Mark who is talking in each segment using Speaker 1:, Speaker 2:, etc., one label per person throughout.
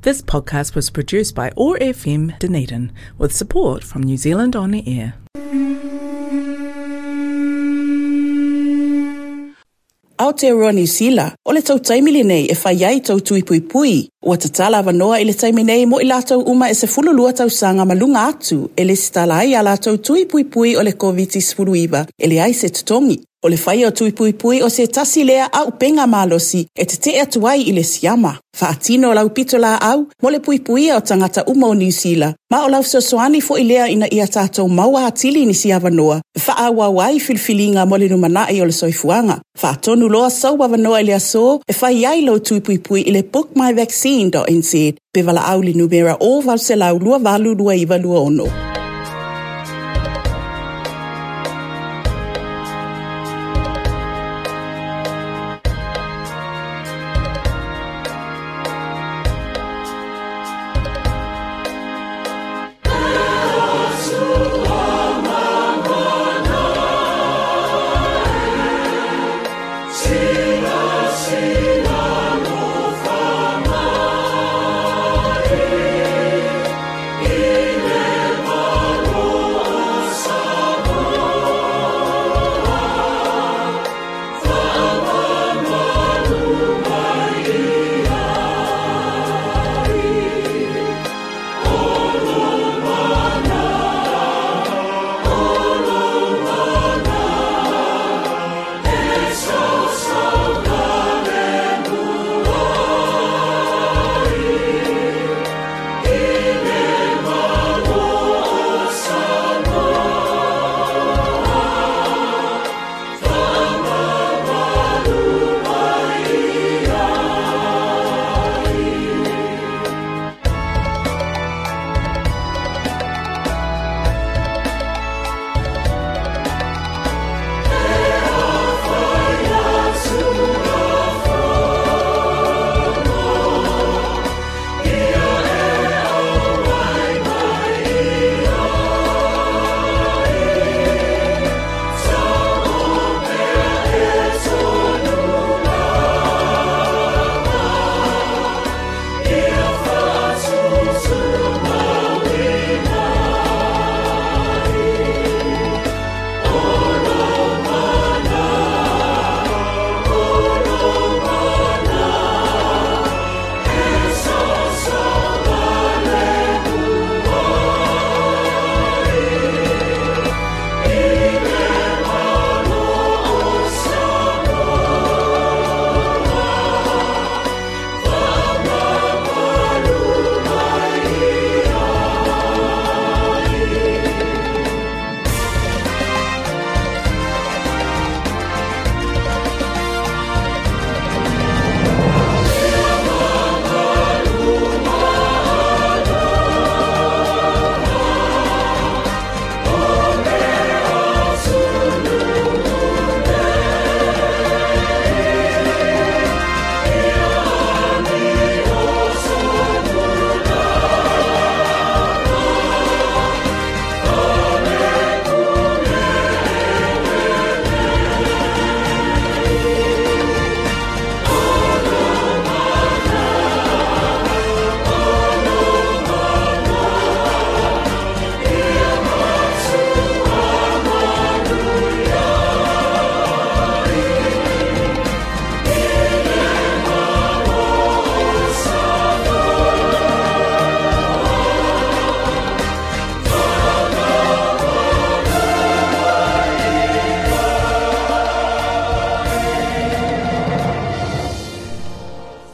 Speaker 1: This podcast was produced by OAR FM Dunedin with support from New Zealand On Air.
Speaker 2: Aotearoa Niu Sila, o le tou taimi lenei e fai ai tou tui puipui. Ua tatala avanoa i le taimi nei mo i latou uma e 12 tausaga ma luga atu e lesitala ai a latou tui puipui o le Koviti-19 e leai se totogi. O le faia o tui puipui o se tasi lea auupega malosi e tetee atu ai i le siama. Faatino lau pitolaau mo le puipuia o tagata uma o Niu Sila, ma o lau fesoasoani foi lea ina ia tatou maua atili nisi avanoa e faaauau ai filifiliga mo le lumanai o le soifuaga. Faatonu loa sou avanoa i le aso e fai ai lou tui puipui i le bookmyvaccine.nz pe valaau i le numera 0800 28 29 26.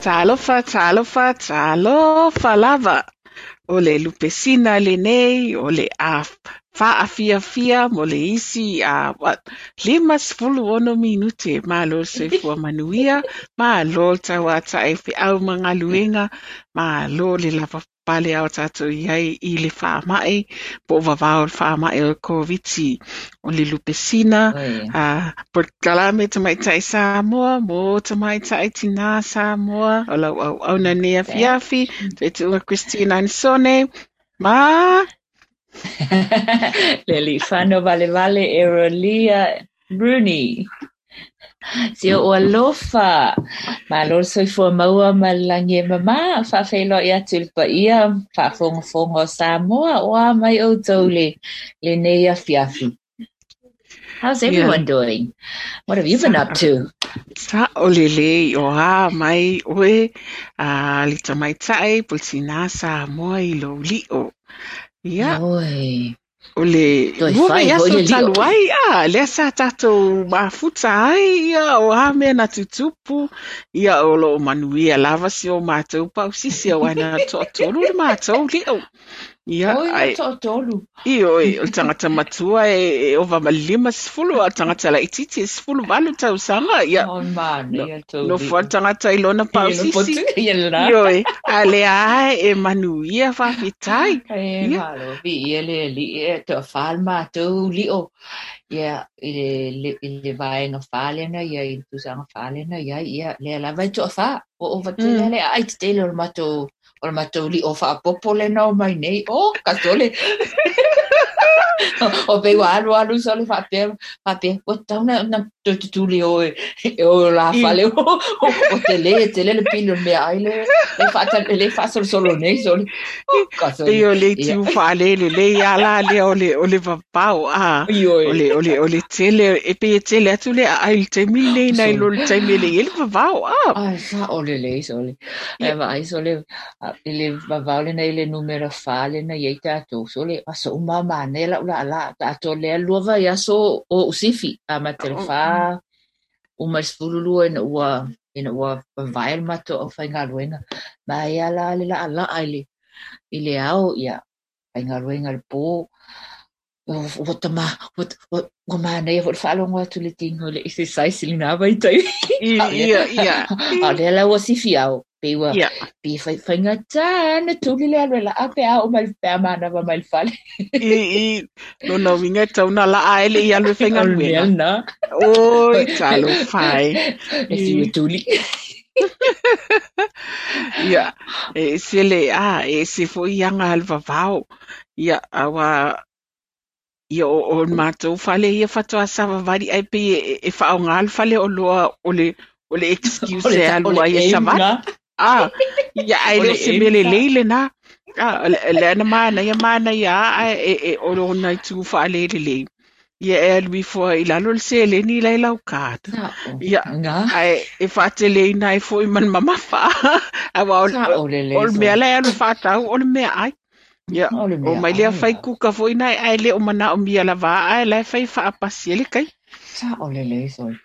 Speaker 3: Talofa, talofa, talofa lava. O le lupesina lenei, o le a faafiafia mo le isi a what, 56 minute. Malo le soifua manuia, malo le tauataʻi feʻau ma galuega, malo le lava pale a o tatou i ai i le faamaʻi po o vavao le faamaʻi o le Koviti. O le lupesina, a polokalame tamaitai Samoa mo tamaitai tinā Samoa, o lau auauna nei afiafi, Tuaituuga Christine Anisone, ma
Speaker 4: Lealiifano Valevale Erolia Rooney. Si oʻu alofa. Malo le soifua maua ma le lagi e mamā. Faafeiloai atu i le paia faafogafoga o Samoa. O a mai ʻoutou i lenei afiafi. How's everyone doing? What have you been up to?
Speaker 3: Sa'o lelei, o a mai ʻoe a le tamaitai po o le tinā Samoa i lou liʻo. Ia.
Speaker 4: Oi.
Speaker 3: O le
Speaker 4: Toe
Speaker 3: lua
Speaker 4: fai foi
Speaker 3: vaiaso
Speaker 4: le liʻo.
Speaker 3: talu ai, a, lea sa tatou mafuta ai, ia, o a mea na tutupu, ia, o lo o manuia lava si o matou pausisi, aua na toatolu le matou liʻo. Ia,
Speaker 4: Oi, na
Speaker 3: ai,
Speaker 4: toatolu.
Speaker 3: Ioe, o le tagata matua e ova ma le 50, a o le tagata laitiiti e 18 tausaga, ia,
Speaker 4: Oi, manaia le tou
Speaker 3: nofo lava
Speaker 4: liʻo.
Speaker 3: le tagata i lona
Speaker 4: I lona
Speaker 3: pausisi.
Speaker 4: potu, ia lena.
Speaker 3: Ioe, a o lea lava e manuia, faafetai.
Speaker 4: E
Speaker 3: Ia.
Speaker 4: malo, viia le Alii e toafa le matou liʻo. Ia, i le, i le vaega fa lea na i ai, i le tausaga fa lea na i ai, ia, lea lava e toafa. Ua ova tele lava le aai tetele o le matou, o le matou liʻo faaopoopo lea na omai nei. Oh, ka sole! O pei ua alu alu sole faapea, faapea, ua tatau ona toe tutuli e o e o i o la fale. Ua tele tele le pili o le meaai lea e faasolosolo nei sole. Oh, ka sole.
Speaker 3: Pei o le itu faalelelei lava la lea o le, o le vavao, a,
Speaker 4: Ioe.
Speaker 3: o le, o le, o le tele, e pei e tele atu le aai i le taimi lenei nai lo le taimi e le i ai le vavao, a.
Speaker 4: Ai, sa'o lelei sole. Ae vaai sole, i le vavao lena i le numera fa lena i ai tatou sole, aso uma lava manaia la'u laalaa tatou lea lua vaiaso o o'u sifi, amata i le fa uma i le 12 ina ua ina ua vavae le matou aufaigaluega. Manaia la le laalaa i le i le ao, ia faigaluega i le po. Ua tama, ua manaia foi le faalogo atu i le tino i le exercise i lena vaitaimi.
Speaker 3: Ia, ia.
Speaker 4: A o lea la ua sifi ao, pei ua, pei e faigata ona tuli le alu e laa pe a oo mai, pe a manava mai le fale.
Speaker 3: I, i, lona uiga e tatau ona laa ae le i alu e
Speaker 4: O le mea
Speaker 3: faigaluega.
Speaker 4: lena.
Speaker 3: Oi, talofa e.
Speaker 4: E fiu e tuli.
Speaker 3: Ia, e ese le, a, e ese foi aga a le vavao. Ia, aua ia o, o le matou fale ia faatoa savavali ae pei e, e faaaoga le fale oloa o le, o le
Speaker 4: O
Speaker 3: excuse
Speaker 4: le,
Speaker 3: e
Speaker 4: o
Speaker 3: alu
Speaker 4: le
Speaker 3: ai e
Speaker 4: aim
Speaker 3: savali.
Speaker 4: lena.
Speaker 3: A, ia ae
Speaker 4: O
Speaker 3: le
Speaker 4: le
Speaker 3: o se
Speaker 4: aim
Speaker 3: mea
Speaker 4: sa.
Speaker 3: lelei lena. A, lea na manaia manaia lava ae e, e, o lona itu faalelelei. Ia e alu ifo ai i lalo le seleni la i lau card.
Speaker 4: Sa'o.
Speaker 3: Ia,
Speaker 4: Ga.
Speaker 3: ae e faateleina ai foi ma le mamafa. Aua o,
Speaker 4: Sa'o
Speaker 3: o
Speaker 4: lelei
Speaker 3: le mea
Speaker 4: sole.
Speaker 3: la e alu faatau o le meaai. Ia,
Speaker 4: O le
Speaker 3: o mai lea
Speaker 4: meaai
Speaker 3: fai
Speaker 4: lava.
Speaker 3: kuka foi na ae le o manaomia lava ae la e fai faapasi ai le kai.
Speaker 4: Sa'o lelei sole.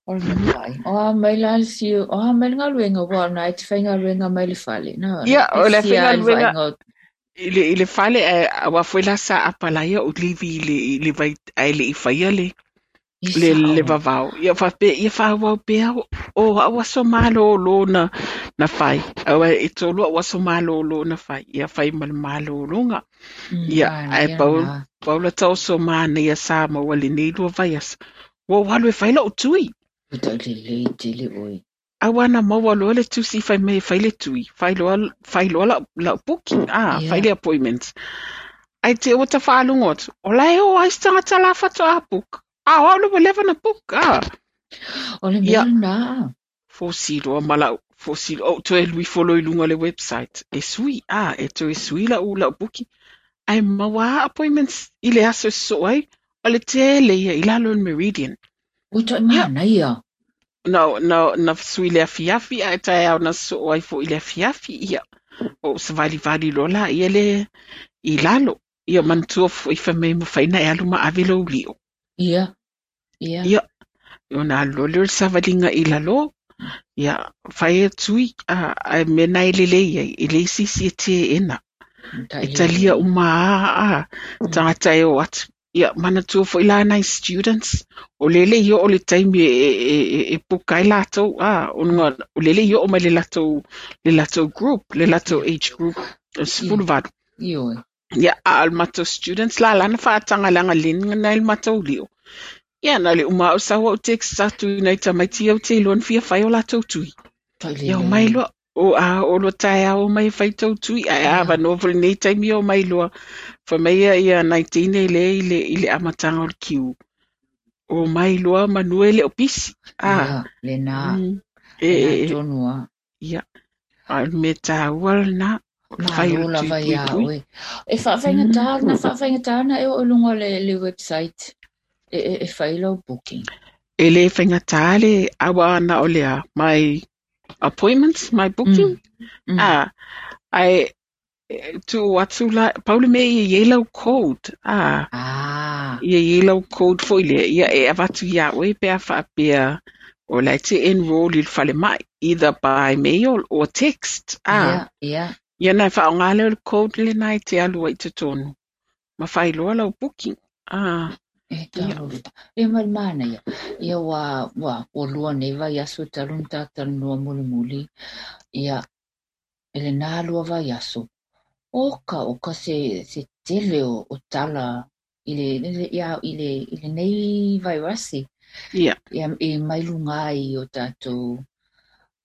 Speaker 4: O le meaai. O a mai la le siu, o a mai le galuega, ua o lena e te faigaluega mai le fale. Na, na
Speaker 3: Ia, o le
Speaker 4: pisi lava i le
Speaker 3: faigaluega
Speaker 4: vaaiga o
Speaker 3: i le fale ae aua foi la sa apalaia o livi i le, i le vai ae le i faia le
Speaker 4: I
Speaker 3: le, le
Speaker 4: sa'o.
Speaker 3: vavao. Ia faapea ia faaauau pea o au aso malōlō na, na fai. Aua e tolu au aso malōlō na fai. Ia fai ma le malōlōga. Ia, ae
Speaker 4: Manaia
Speaker 3: pau,
Speaker 4: lena.
Speaker 3: pau la taoso manaia sa maua lenei lua vaiaso. Ua ou alu e fai la'u tui.
Speaker 4: Ua taulelei tele ʻoe.
Speaker 3: Aua na maua loa le tusi fai mai e fai le tui. Fai loa, fai loa la'u, la'u booking. Ah, fai
Speaker 4: Ia.
Speaker 3: le appointment. Ae te ua tafaalogo atu. O la e o ai se tagata la faatoa book. A o au le ua leva ona book. Ah.
Speaker 4: O le mea
Speaker 3: Ia.
Speaker 4: lena.
Speaker 3: Fosi loa ma la'u, fosi loa, ou toe alu ifo loa i luga o le website. E sui, ah, e toe sui la'u, la'u booking. Ae maua lava appointments i le aso e sosoo ai. O le tele ia i lalo o le Meridian.
Speaker 4: Ua toe
Speaker 3: Ia.
Speaker 4: manaia.
Speaker 3: Na, na, na sui i le afiafi ae taeao na sosoo ai foi i le afiafi. Ia, ou savalivali loa laia lea i lalo. Ia manatua foi fai mai e mafai ona e alu ma ave lou liʻo.
Speaker 4: Ia. Ia.
Speaker 3: Ia, ona alu loa lea o le savaliga i lalo. Ia, fai e tui, a, ae mea na e lelei ai, e leai se isi e teena. E talia
Speaker 4: Tailelei.
Speaker 3: uma lava a, tagata e o atu. Ia, manatua foi la nai students, o lea e le i oo le taimi e, e, e, e puka ai latou, a, ona o lea e le i oo mai le latou, le latou group, le latou
Speaker 4: Ia.
Speaker 3: age group, o le
Speaker 4: Ia.
Speaker 3: 18.
Speaker 4: Ioe.
Speaker 3: Ia, a o le matou students la la na faataga leaga leni nai le matou liʻo. Ia, na o le uma lava o sau au text atu i nai tamaiti ia ou te iloa na fia fai o latou tui. Ia, omai
Speaker 4: Tailelei.
Speaker 3: loa, o a oo loa taeao omai e fai tou tui, ae a
Speaker 4: Ia.
Speaker 3: avanoa foi lenei taimi ia omai loa. Fai mai ia, ia nai teine lea i le, i le amataga o le kiu. Omai loa manu e le o pisi.
Speaker 4: Ia, lena. Lena tonu lava.
Speaker 3: Ia, a o le mea taua lena, o le fai o
Speaker 4: Malo
Speaker 3: le
Speaker 4: lava
Speaker 3: tui
Speaker 4: iā
Speaker 3: puipui.
Speaker 4: oe. E faafaigata, na faafaigata ona e oo i luga o le website e fai lau booking.
Speaker 3: E le faigata le aua na o le a, my appointments, my booking, ae tuu atu la, pau le mea ia i ai lau code, ia i ai lau code foi lea, ia e avatu iā oe pe a faapea o la e te enroll i le falemai, either by mail or text, Ia ona e faaaoga lea o le code lena e te alu ai i totonu, ma fai loa lau booking.
Speaker 4: E talofa. Ia ma le manaia, ia ua, ua, ua lua nei vaiaso talu ona ta talanoa mulimuli, ia, i lena lua vaiaso, oka oka se, se tele o, o tala i le, ia, i le, i lenei vairasi. Ia, e mai luga ai o tatou,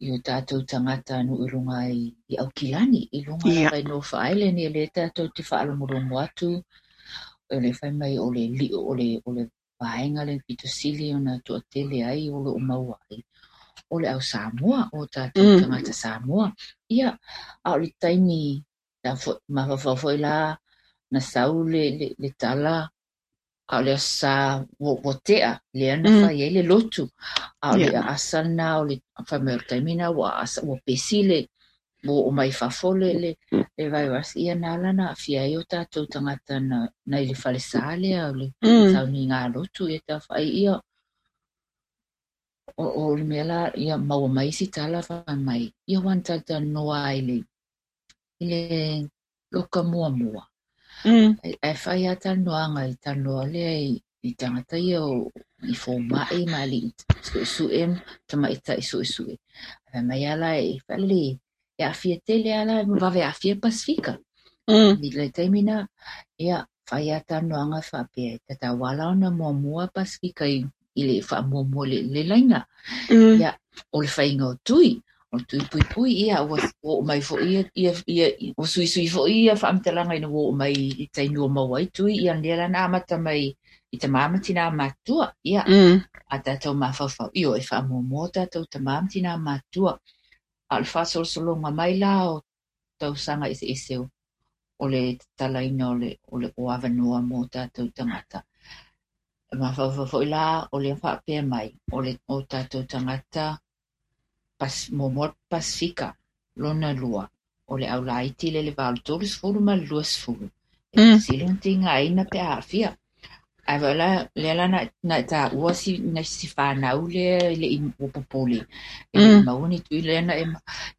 Speaker 4: i o tatou tagata nuu i luga i Aukilani, i luga lava i North Island, ia lea tatou te faalogologo atu, o le fai mai o le lio, o le, o le vaega le pito sili ona toatele ai o loo maua ai, o le au Samoa, o tatou tagata Samoa. Ia, a o le taimi, mafaufau foi la, na sau le, le, le tala, a o le Aso Sa ua tea, lea na fai ai le lotu. A o le aasa lena o le fai mai o le taimi lena ua aasa, ua pesi le, ua oo mai fafo le, le, le virus, ia na ala ona aafia ai o tatou tagata na, na i le falesa lea o le sauniga lotu, ia taufaai, ia, o, o le mea la, ia maua mai isi tala fai mai, ia ua na talatalanoa ai le, i le loka muamua. Ae fai lava talanoaga i talanoa lea i tagata ia o, i fomai ma alii suesue, tamaitai suesue. Fai mai lava la e faalelei, e aafia tele lava la, ma vave aafia Pasefika. I le taimi lena, ia, fai lava talanoaga faapea, e tatau lava la ona muamua Pasefika i, i le faamuamua i le, le laina. Ia, o le faiga o tui, o le tui puipui, ia, ua oo mai foi ia, ia, ia, ua suisui foi ia faamatalaga ina ua oo mai i taimi ua maua ai tui, ia lea la na amata mai i tamā ma tinā matutua, ia, a tatou mafaufau, ioe, e faamuamua o tatou tamā ma tinā matutua. A o le faasolosologa mai la o tausaga eseese o le tatalaina o le, o le, o avanoa mo tatou tagata. E mafaufau foi la o lea faapea mai, o le, o tatou tagata pas, muamua Pasefika, lona lua, o le au laiti lea i le va o le 30 ma le 20. E sili ona tigaina pe a aafia. Ae foi la, lea la na, na taua si, na si fanau lea e le i ua popole, e le i maua ni tui lea na e,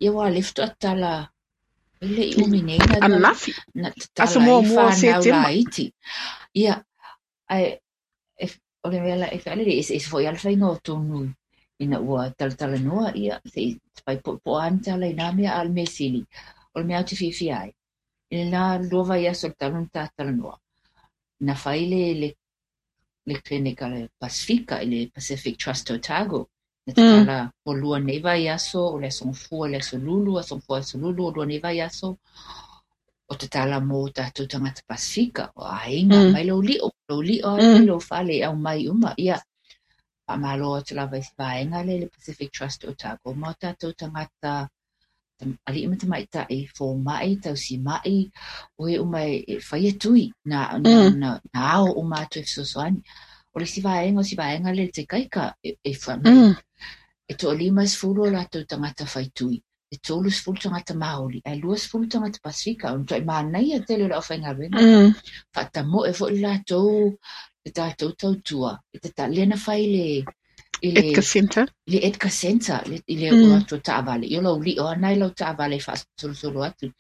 Speaker 4: ia aua o lea faatoa tatala, e le i umi nei na,
Speaker 3: Ananafi.
Speaker 4: na
Speaker 3: Aso
Speaker 4: tatala ai
Speaker 3: muamua o
Speaker 4: fanau
Speaker 3: Setema.
Speaker 4: laiti. Ia, ae, e, o le mea la e faalelei, e eseese foi lava le faiga o tonu ina ua talatalanoa, ia, se i fai poapoa lava ni tala i na mea, a o le mea sili, o le mea ou te fiafia ai, i lena lua vaiaso talu ona ta talanoa, na fai le, le, le clinic a le Pasefika, i le Pacific Trust Otago, na tatala ua lua nei vaiaso, o le Aso Gafua i le Aso Lulu, Aso Gafua Aso Lulu, ua lua nei vaiaso, o tatala mo tatou tagata Pasefika, o aiga, aumai lou lio, lou lio lava mai lou fale, aumai uma, ia, faamalo atu lava i si vaega lea i le Pacific Trust Otago ma o tatou tagata alii ma tamaitai, fomai, tausimai, o e uma e faia tui, na, na, na, na ao uma atu e fesoasoani. O le isi vaega, o si vaega lea i le Tekaika, e, e fai mai, e toa-50 o latou tagata fai tui, e 30 tagata Māori, ae 20 tagata Pasefika. O le matuai manaia tele o le aufaigaluega. Faatamoe foi le latou, le tatou tautua, e tata, lea na fai le, i le,
Speaker 3: Edgar Centre.
Speaker 4: i le Edgar Centre, le, i le o latou taavale, ia o lau lio lava lena i lau taavale e faasolosolo atu.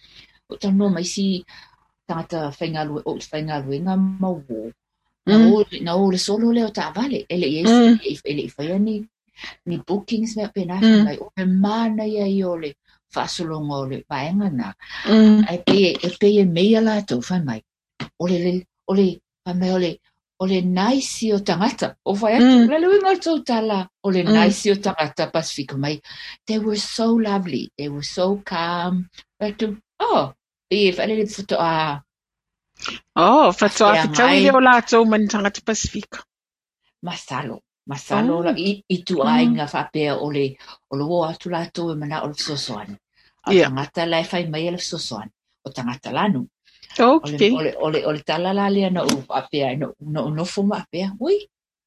Speaker 4: O talanoa ma isi tagata faigaluega, o faigaluega ma uō, na o, na o i le solo lea o taavale, e le i ai, e le i faia ni, ni bookings mea faapena, fai mai, o le manaia ia o le faasologa o le vaega lena. Ae pei e pei e meia latou, fai mai, o le, o le, fai mai o le, o le nice o tagata. O fai atu, o le a le uiga o le tou tala, o le nice o tagata Pasefika mai. They were so lovely, they were so calm. Fai atu, oh, pei e faalele faatoa
Speaker 3: Oh, faatoa fetaui
Speaker 4: feagai.
Speaker 3: lea o latou ma ni tagata Pasefika.
Speaker 4: Masalo, masalo la
Speaker 3: Oh.
Speaker 4: i ituaiga faapea o le o le o atu latou e manao i le fesoasoani. A o tagata la e fai maia le fesoasoani, o tagata lanu. O le
Speaker 3: Okay.
Speaker 4: o le o le o le tala la lea na ou faapea ai, na ou nofo ma faapea, ui,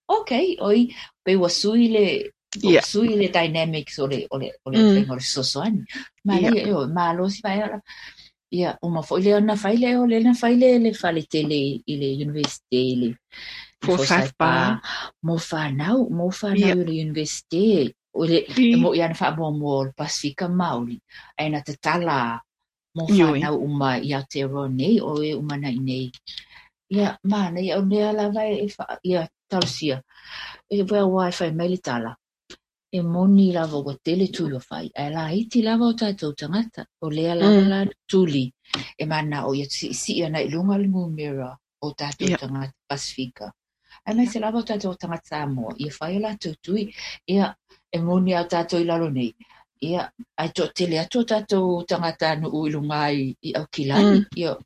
Speaker 4: okay, oi, pei ua sui le ua sui le dynamics o le o le o le faiga o le fesoasoani. Manaia, ioe, malo si vaega la. Ia, uma foi lea ona fai lea, o lea na fai le, le fale tele i le Universite i le i
Speaker 3: Forsyth
Speaker 4: Forsyth Bar
Speaker 3: Bar.
Speaker 4: mo fanau i le Universite. O le, e mo'i lava na faamuamua o le Pasefika Maoli, ae na tatala mo
Speaker 3: Ioe.
Speaker 4: fanau uma i Aotearoa nei, o e uma na i inei. Ia, manaia, o lea lava e, ia, talosia. E aua e fai mai le tala, e moni lava ua tele tui ua fai, ae laiti lava o tatou tagata. O lea lava la na tuli e mana'o ia si'isi'i ana i luga le numera o tatou tagata Pasefika, aemaise lava o tatou tagata Samoa, ia fai o latou tui. Ia, e moni a o tatou i lalo nei, ia, ae to'atele atu o tatou tagatanuu i luga i Aukilani. Ia,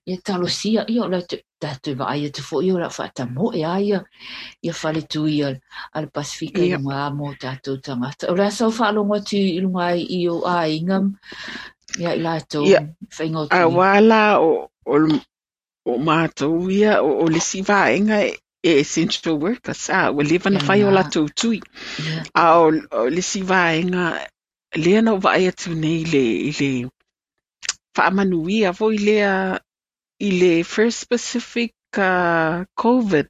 Speaker 4: ia talosia, ia o le tatou vaai atu foi o le a faatamoe lava ia ia faletui a le Pasefika i luga mo tatou tagata. O le a sau faalogo atu i luga i ou aiga ia i latou faiga o tui?
Speaker 3: Aua la o matou ia, o le isi vaega e essential workers, a, ua leva ona fai o latou tui. A o le isi vaega lea na ou vaai atu nei i le faamanuia foi lea i le First Pacific COVID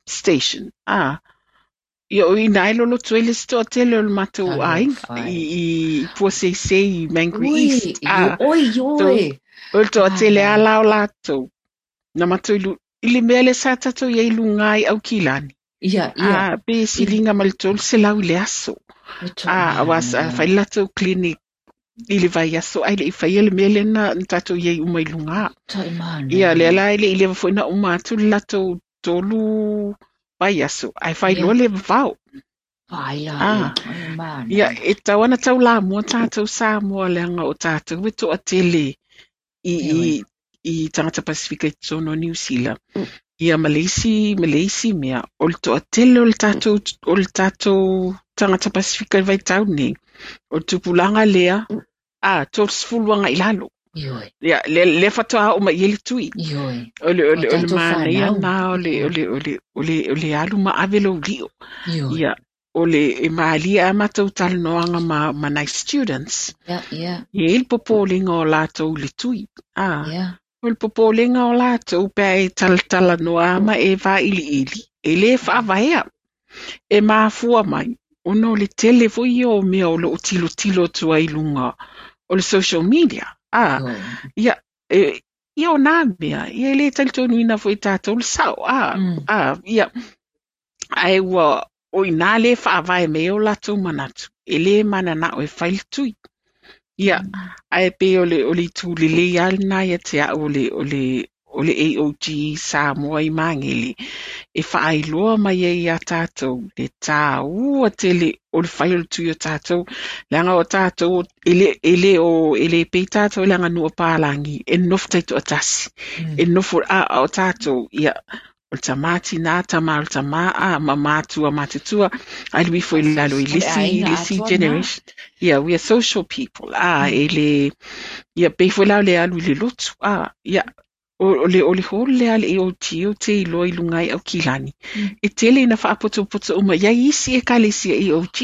Speaker 3: station, a, ia o i ina e loloto ai le isi toatele o le matou aiga i Puaseisei i Mangere East, a,
Speaker 4: Oi, ioe!
Speaker 3: o le toatele lava la o latou na matou i le mea lea sa tatou i ai i luga i Aukilani, a, pe siliga ma le 300 i le aso, a, aua sa fai le latou clinic i le vaiaso ae le i faia le mea lea na tatou i ai uma i luga. Ia, lea la e le i leva foi ona uma atu le latou 3 vaiaso, ae fai loa le vavao. A, ia, e tatau lava ona taulamua tatou Samoa leaga o tatou e toatele i tagata Pasefika i totonu o Niu Sila. Ia ma le isi, ma le isi mea, o le toatele o le tatou, o le tatou tagata Pasefika i le vaitau lenei, o le tupulaga lea, a, 30 agai i lalo.
Speaker 4: Ioe.
Speaker 3: Ia, lea, lea faatoa oo mai i ai le tui.
Speaker 4: Ioe.
Speaker 3: O le, o le,
Speaker 4: O
Speaker 3: o le
Speaker 4: tatou
Speaker 3: manaia
Speaker 4: fanau.
Speaker 3: lena o le, o le, o le, o le, o le alu ma ave lou lio.
Speaker 4: Ioe.
Speaker 3: Ia, o le, e malie lava matou talanoaga ma nai students.
Speaker 4: Ia, ia.
Speaker 3: E i ai le popolega o latou i le tui. A, o le popolega o latou pe a e talatalanoa ma e vailiili, e le faavaea. E mafua mai, ona o le tele foi ia o mea o lo o tilotilo atu ai i luga o le social media. A, ia, e, ia o nā mea, ia e le talitonuina foi e tatou le sao. A, a, ia, ae ua, o i inā lea e faavae mai ai o latou manatu, e le mananao e fai le tui. Ia, ae pei o le, o le itu lelei lava lena ia te au o le, o le, o le AOG Samoa i Magele, e faailoa mai ai iā tatou le tāua tele o le fai o le tui o tatou, leaga o tatou e le, e le o, e le pei tatou i le aganuu a palagi e nonofo taitoatasi, e nonofo, a, a o tatou, ia, o le tamā tinā, tama o le tamā, a, ma matua matutua, alu ifo i lalo i
Speaker 4: O le
Speaker 3: le isi,
Speaker 4: aiga
Speaker 3: le isi
Speaker 4: atoa lena.
Speaker 3: generation. Ia, we are social people, a, e le, ia, pei foi la o le alu i le lotu, a, ia, o le, o le hall lea a le AOG ou te iloa i luga i Aukilani, e tele ina faapotopoto uma i ai isi ekalesia AOG.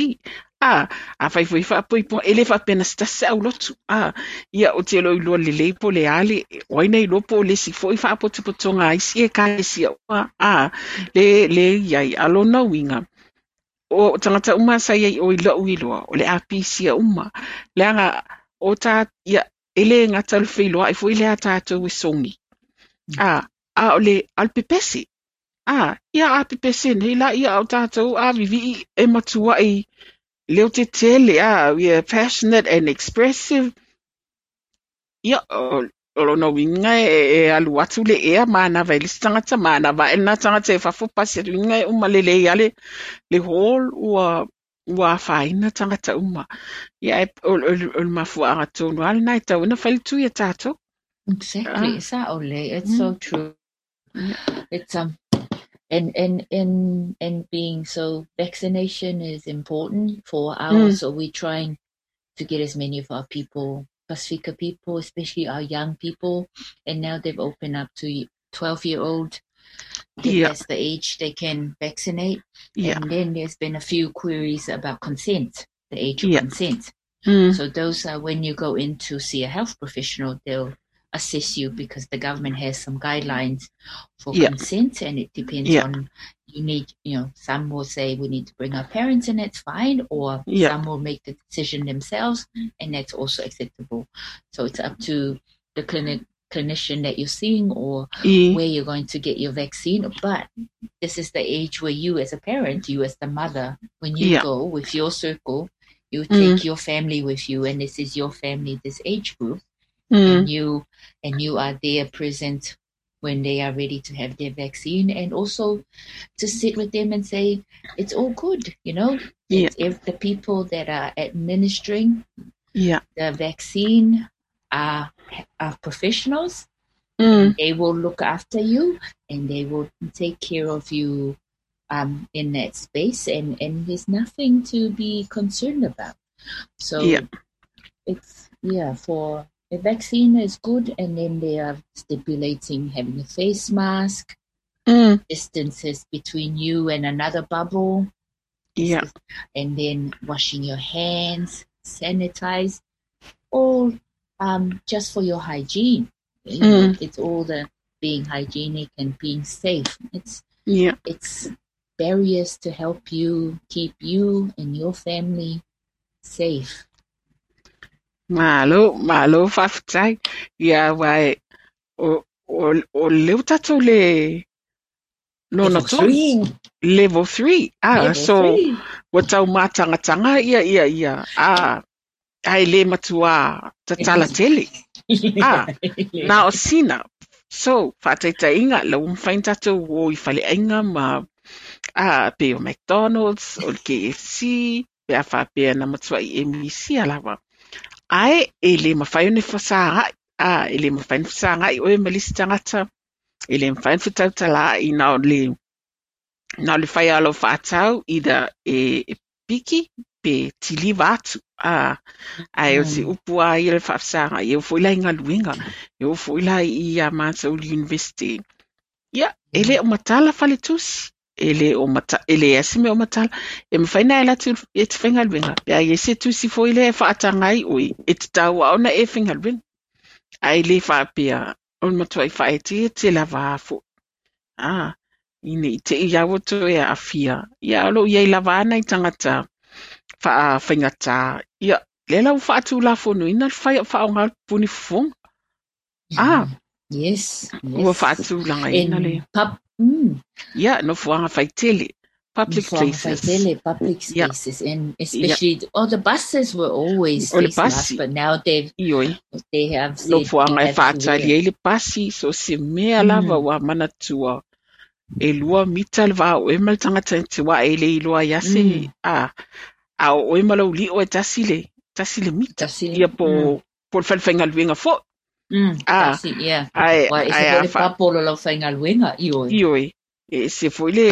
Speaker 3: A, afai foi faapoipoga, e le faapea na se tasi se aulotu. A, ia, ou te le o iloa lelei po o le a le, o ai na iloa po o le isi foi faapotopotoga a isi ekalesia uma, a, le, le i ai. A o lona uiga, o tagata uma sa i ai i o i lou iloa, o le apisia uma. Leaga, o ta, ia, e le gata o le feiloai foi lea a tatou e sogi. A, a o le, a o le pepese. A, ia a pepese nei la, ia a o tatou a vivii e matuai leo tetele, a, we are passionate and expressive. Ia, o, o lona uiga e alu atu le ea manava i le isi tagata, manava ae lena tagata i fafo pasi atu uiga e uma lelei lava le, le hall ua, ua afaina tagata uma. Ia, e, o, o, o le mafuaaga tonu lava lena e tatau ai ona fai le tui a tatou.
Speaker 4: Exactly.
Speaker 3: Ah.
Speaker 4: Sa'o lelei. It's so true.
Speaker 3: Ia.
Speaker 4: It's And being so vaccination is important for our so we're trying to get as many of our people, Pasifika people, especially our young people, and now they've opened up to 12-year-old. That's the age they can vaccinate. And then there's been a few queries about consent, the age of consent. So those are when you go in to see a health professional, they'll assess you because the government has some guidelines for consent, and it depends on you need, you know, some will say we need to bring our parents and that's fine, or some will make the decision themselves and that's also acceptable. So it's up to the clinician that you're seeing or where you're going to get your vaccine. But this is the age where you as a parent, you as the mother, when you go with your circle, you take your family with you, and this is your family, this age group, and you are there present when they are ready to have their vaccine, and also to sit with them and say, it's all good, you know? If the people that are administering the vaccine are professionals, they will look after you and they will take care of you in that space, and there's nothing to be concerned about. So it's, for the vaccine is good, and then they are stipulating having a face mask, distances between you and another bubble, and then washing your hands, sanitize, all just for your hygiene. You know, it's all the being hygienic and being safe. It's it's barriers to help you keep you and your family safe.
Speaker 3: Malo, malo faafetai. Ia aua e o lea ua tatou le lona tolu. Level 3. Ah, so ua tau mātangatanga ia ia ia. Ah, ae le matua tatala tele. Ah, na o sina. So, faataitaiga, la ua mafai ona tatou o i faleaiga ma pe o McDonald's, o le KFC, pe a faapea na matuai e misia lava. Ae, e le mafai ona fesagai. Ah, e le mafai ona fesagai oe ma le isi tagata. E le mafai ona fetautalaai na o le fai lava o lau faatau, either e piki pe tiliva atu. Ah, ae o se upu lava ia le faafesagai. E oo foi la i galuega. E oo foi la i a matou i le university. Ia, e le o matala faletusi. E le o mata, e leai se mea o matala. E mafai ona e alu atu e te faigaluega. Pe a i ai se tusi foi lea e faataga ai oe, e tatau lava ona e faigaluega. Ae le faapea, o le matuai faaeteete lava a foi. Ah, ina i te i a ua toe aafia. Ia, o lo o i ai lava a nai tagata faafaigata. Ia, lea la ua faatulafonoina le fai o faaaoga o le puni fofoga. Ah,
Speaker 4: Yes,
Speaker 3: ua
Speaker 4: yes.
Speaker 3: faatulagaina le
Speaker 4: In pub,
Speaker 3: ia, nofoaga faitele, public
Speaker 4: nofoaga
Speaker 3: places.
Speaker 4: faitele, public spaces, and especially all the buses were always
Speaker 3: O le
Speaker 4: face masks,
Speaker 3: pasi.
Speaker 4: but now
Speaker 3: Ioe.
Speaker 4: they have said you
Speaker 3: Nofoaga e
Speaker 4: have to
Speaker 3: faatali
Speaker 4: wear.
Speaker 3: ai le pasi, so se mea lava ua manatua e 2 mita le va o oe ma le tagata e te wā e le iloa ai se a o oe ma lau lio e tasi le mita.
Speaker 4: Tasi le,
Speaker 3: Ia po le falefaigaluega foi.
Speaker 4: Tasi, yeah.
Speaker 3: Ae,
Speaker 4: Wa e se
Speaker 3: ae
Speaker 4: foi
Speaker 3: a
Speaker 4: le
Speaker 3: fa
Speaker 4: papolo lau faigaluega, ioe.
Speaker 3: Ioe. E se foi le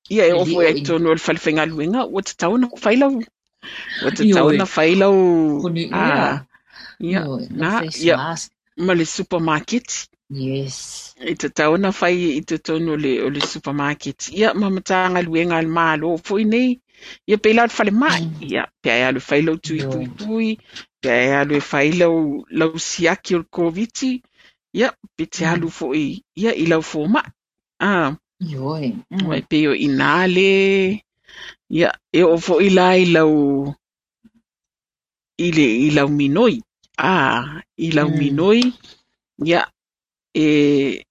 Speaker 3: ia e
Speaker 4: Le
Speaker 3: oo foi
Speaker 4: lio
Speaker 3: ai
Speaker 4: i.
Speaker 3: tonu o le falefaigaluega, ua tatau ona fai lau, ua tatau ona
Speaker 4: Ioe.
Speaker 3: fai lau,
Speaker 4: Puni,
Speaker 3: ia,
Speaker 4: Ioe, lau
Speaker 3: na,
Speaker 4: face
Speaker 3: ia,
Speaker 4: mask.
Speaker 3: ma le supermarket.
Speaker 4: Yes.
Speaker 3: E tatau ona fai i totonu o le supermarket. Ia, ma matagaluega a le malo foi nei. Ia, pe la o le falemai. Ia, pe ai alu e fai lau tui
Speaker 4: Ioe.
Speaker 3: pui pui, pe ai alu e fai lau siaki o le COVID. Ia, pe te alu foi, ia, i lau fomai. Ah.
Speaker 4: Ioe.
Speaker 3: Ua e pei o ina le, ia, e oo foi la i lau, i le, i lau minoi. Ah, i lau minoi, ia, e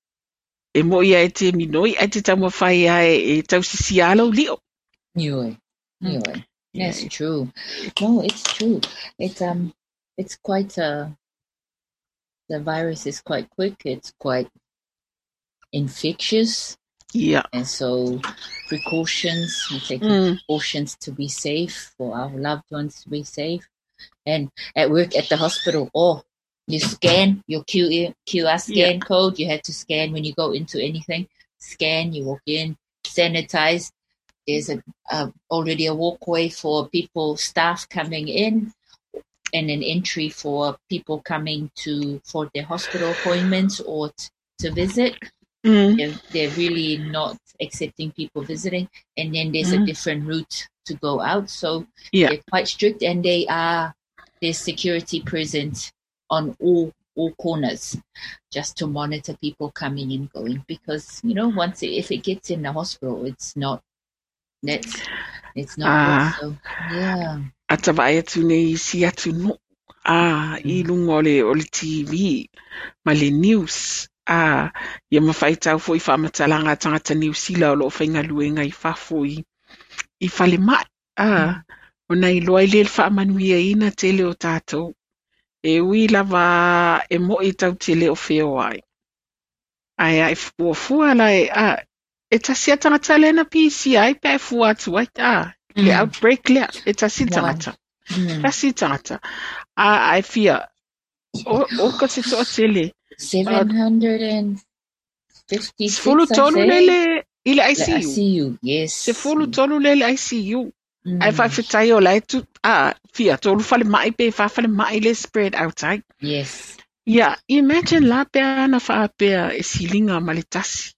Speaker 3: moi ai te minoi, ai te taumawhai ai e tausisi a lau lio.
Speaker 4: Ioe. Ioe.
Speaker 3: Yeah.
Speaker 4: That's true. No, it's true. It's quite the virus is quite quick. It's quite infectious.
Speaker 3: Yeah.
Speaker 4: And so precautions, we take precautions to be safe, for our loved ones to be safe. And at work, at the hospital, oh, you scan your QR scan code. You have to scan when you go into anything. Scan, you walk in, sanitized. There's a, a already a walkway for people, staff coming in, and an entry for people coming to for their hospital appointments or to visit. They're, they're really not accepting people visiting. And then there's a different route to go out. So they're quite strict, and they are there's security present on all all corners just to monitor people coming and going because you know once it, if it gets in the hospital it's not that's it's not good. So yeah.
Speaker 3: A ta vaai atu nei i isi atunuu, a, i luga o le, o le TV ma le news, a, ia ma faitau foi i faamatalaga a tagata Niu Sila o lo o faigaluega i fafo i, i falemai, a, ona iloa ai lea i le faamanuiaina tele o tatou. E ui lava e mo'i tatou te le o feoai. Ae a e fuafua la e, a, e tasi a tagata lea na pisia ai pe a e fua atu ai, a, le outbreak lea, e tasi le tagata. Tasi le tagata. A, a e fia, o, o ka se toatele.
Speaker 4: 756,
Speaker 3: 13 lele i le ICU.
Speaker 4: ICU, yes.
Speaker 3: 13 lele ICU. Ae faafetai o la e tu, a, fia, tolu falemai pe fa falemai le spread out ai.
Speaker 4: Yes.
Speaker 3: Ia, imagine la pe ana faapea e siliga ma le tasi.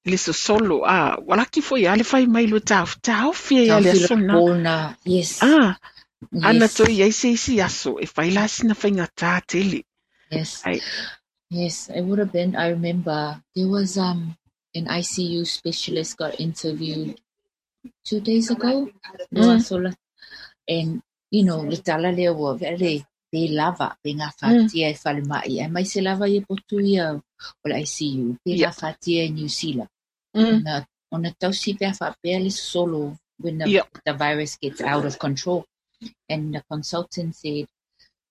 Speaker 3: Le sosolo, a, ua laki foi lava le fai mai lo taofi ai lava i le aso lena.
Speaker 4: Yes.
Speaker 3: A, ana toe i ai se isi aso, e fai la sina faigata tele.
Speaker 4: Yes.
Speaker 3: Ai.
Speaker 4: Yes, it would have been. I remember there was an ICU specialist got interviewed 2 days ago. And, you know, le tala lea ua vele pe lava, pe gafatia e falemai. Aemaise lava ia potu ia o le ICU, pe gafatia e Niu Sila. Ona, ona tausi pe a faapea le sosolo when the, the virus gets out of control. And the consultant said,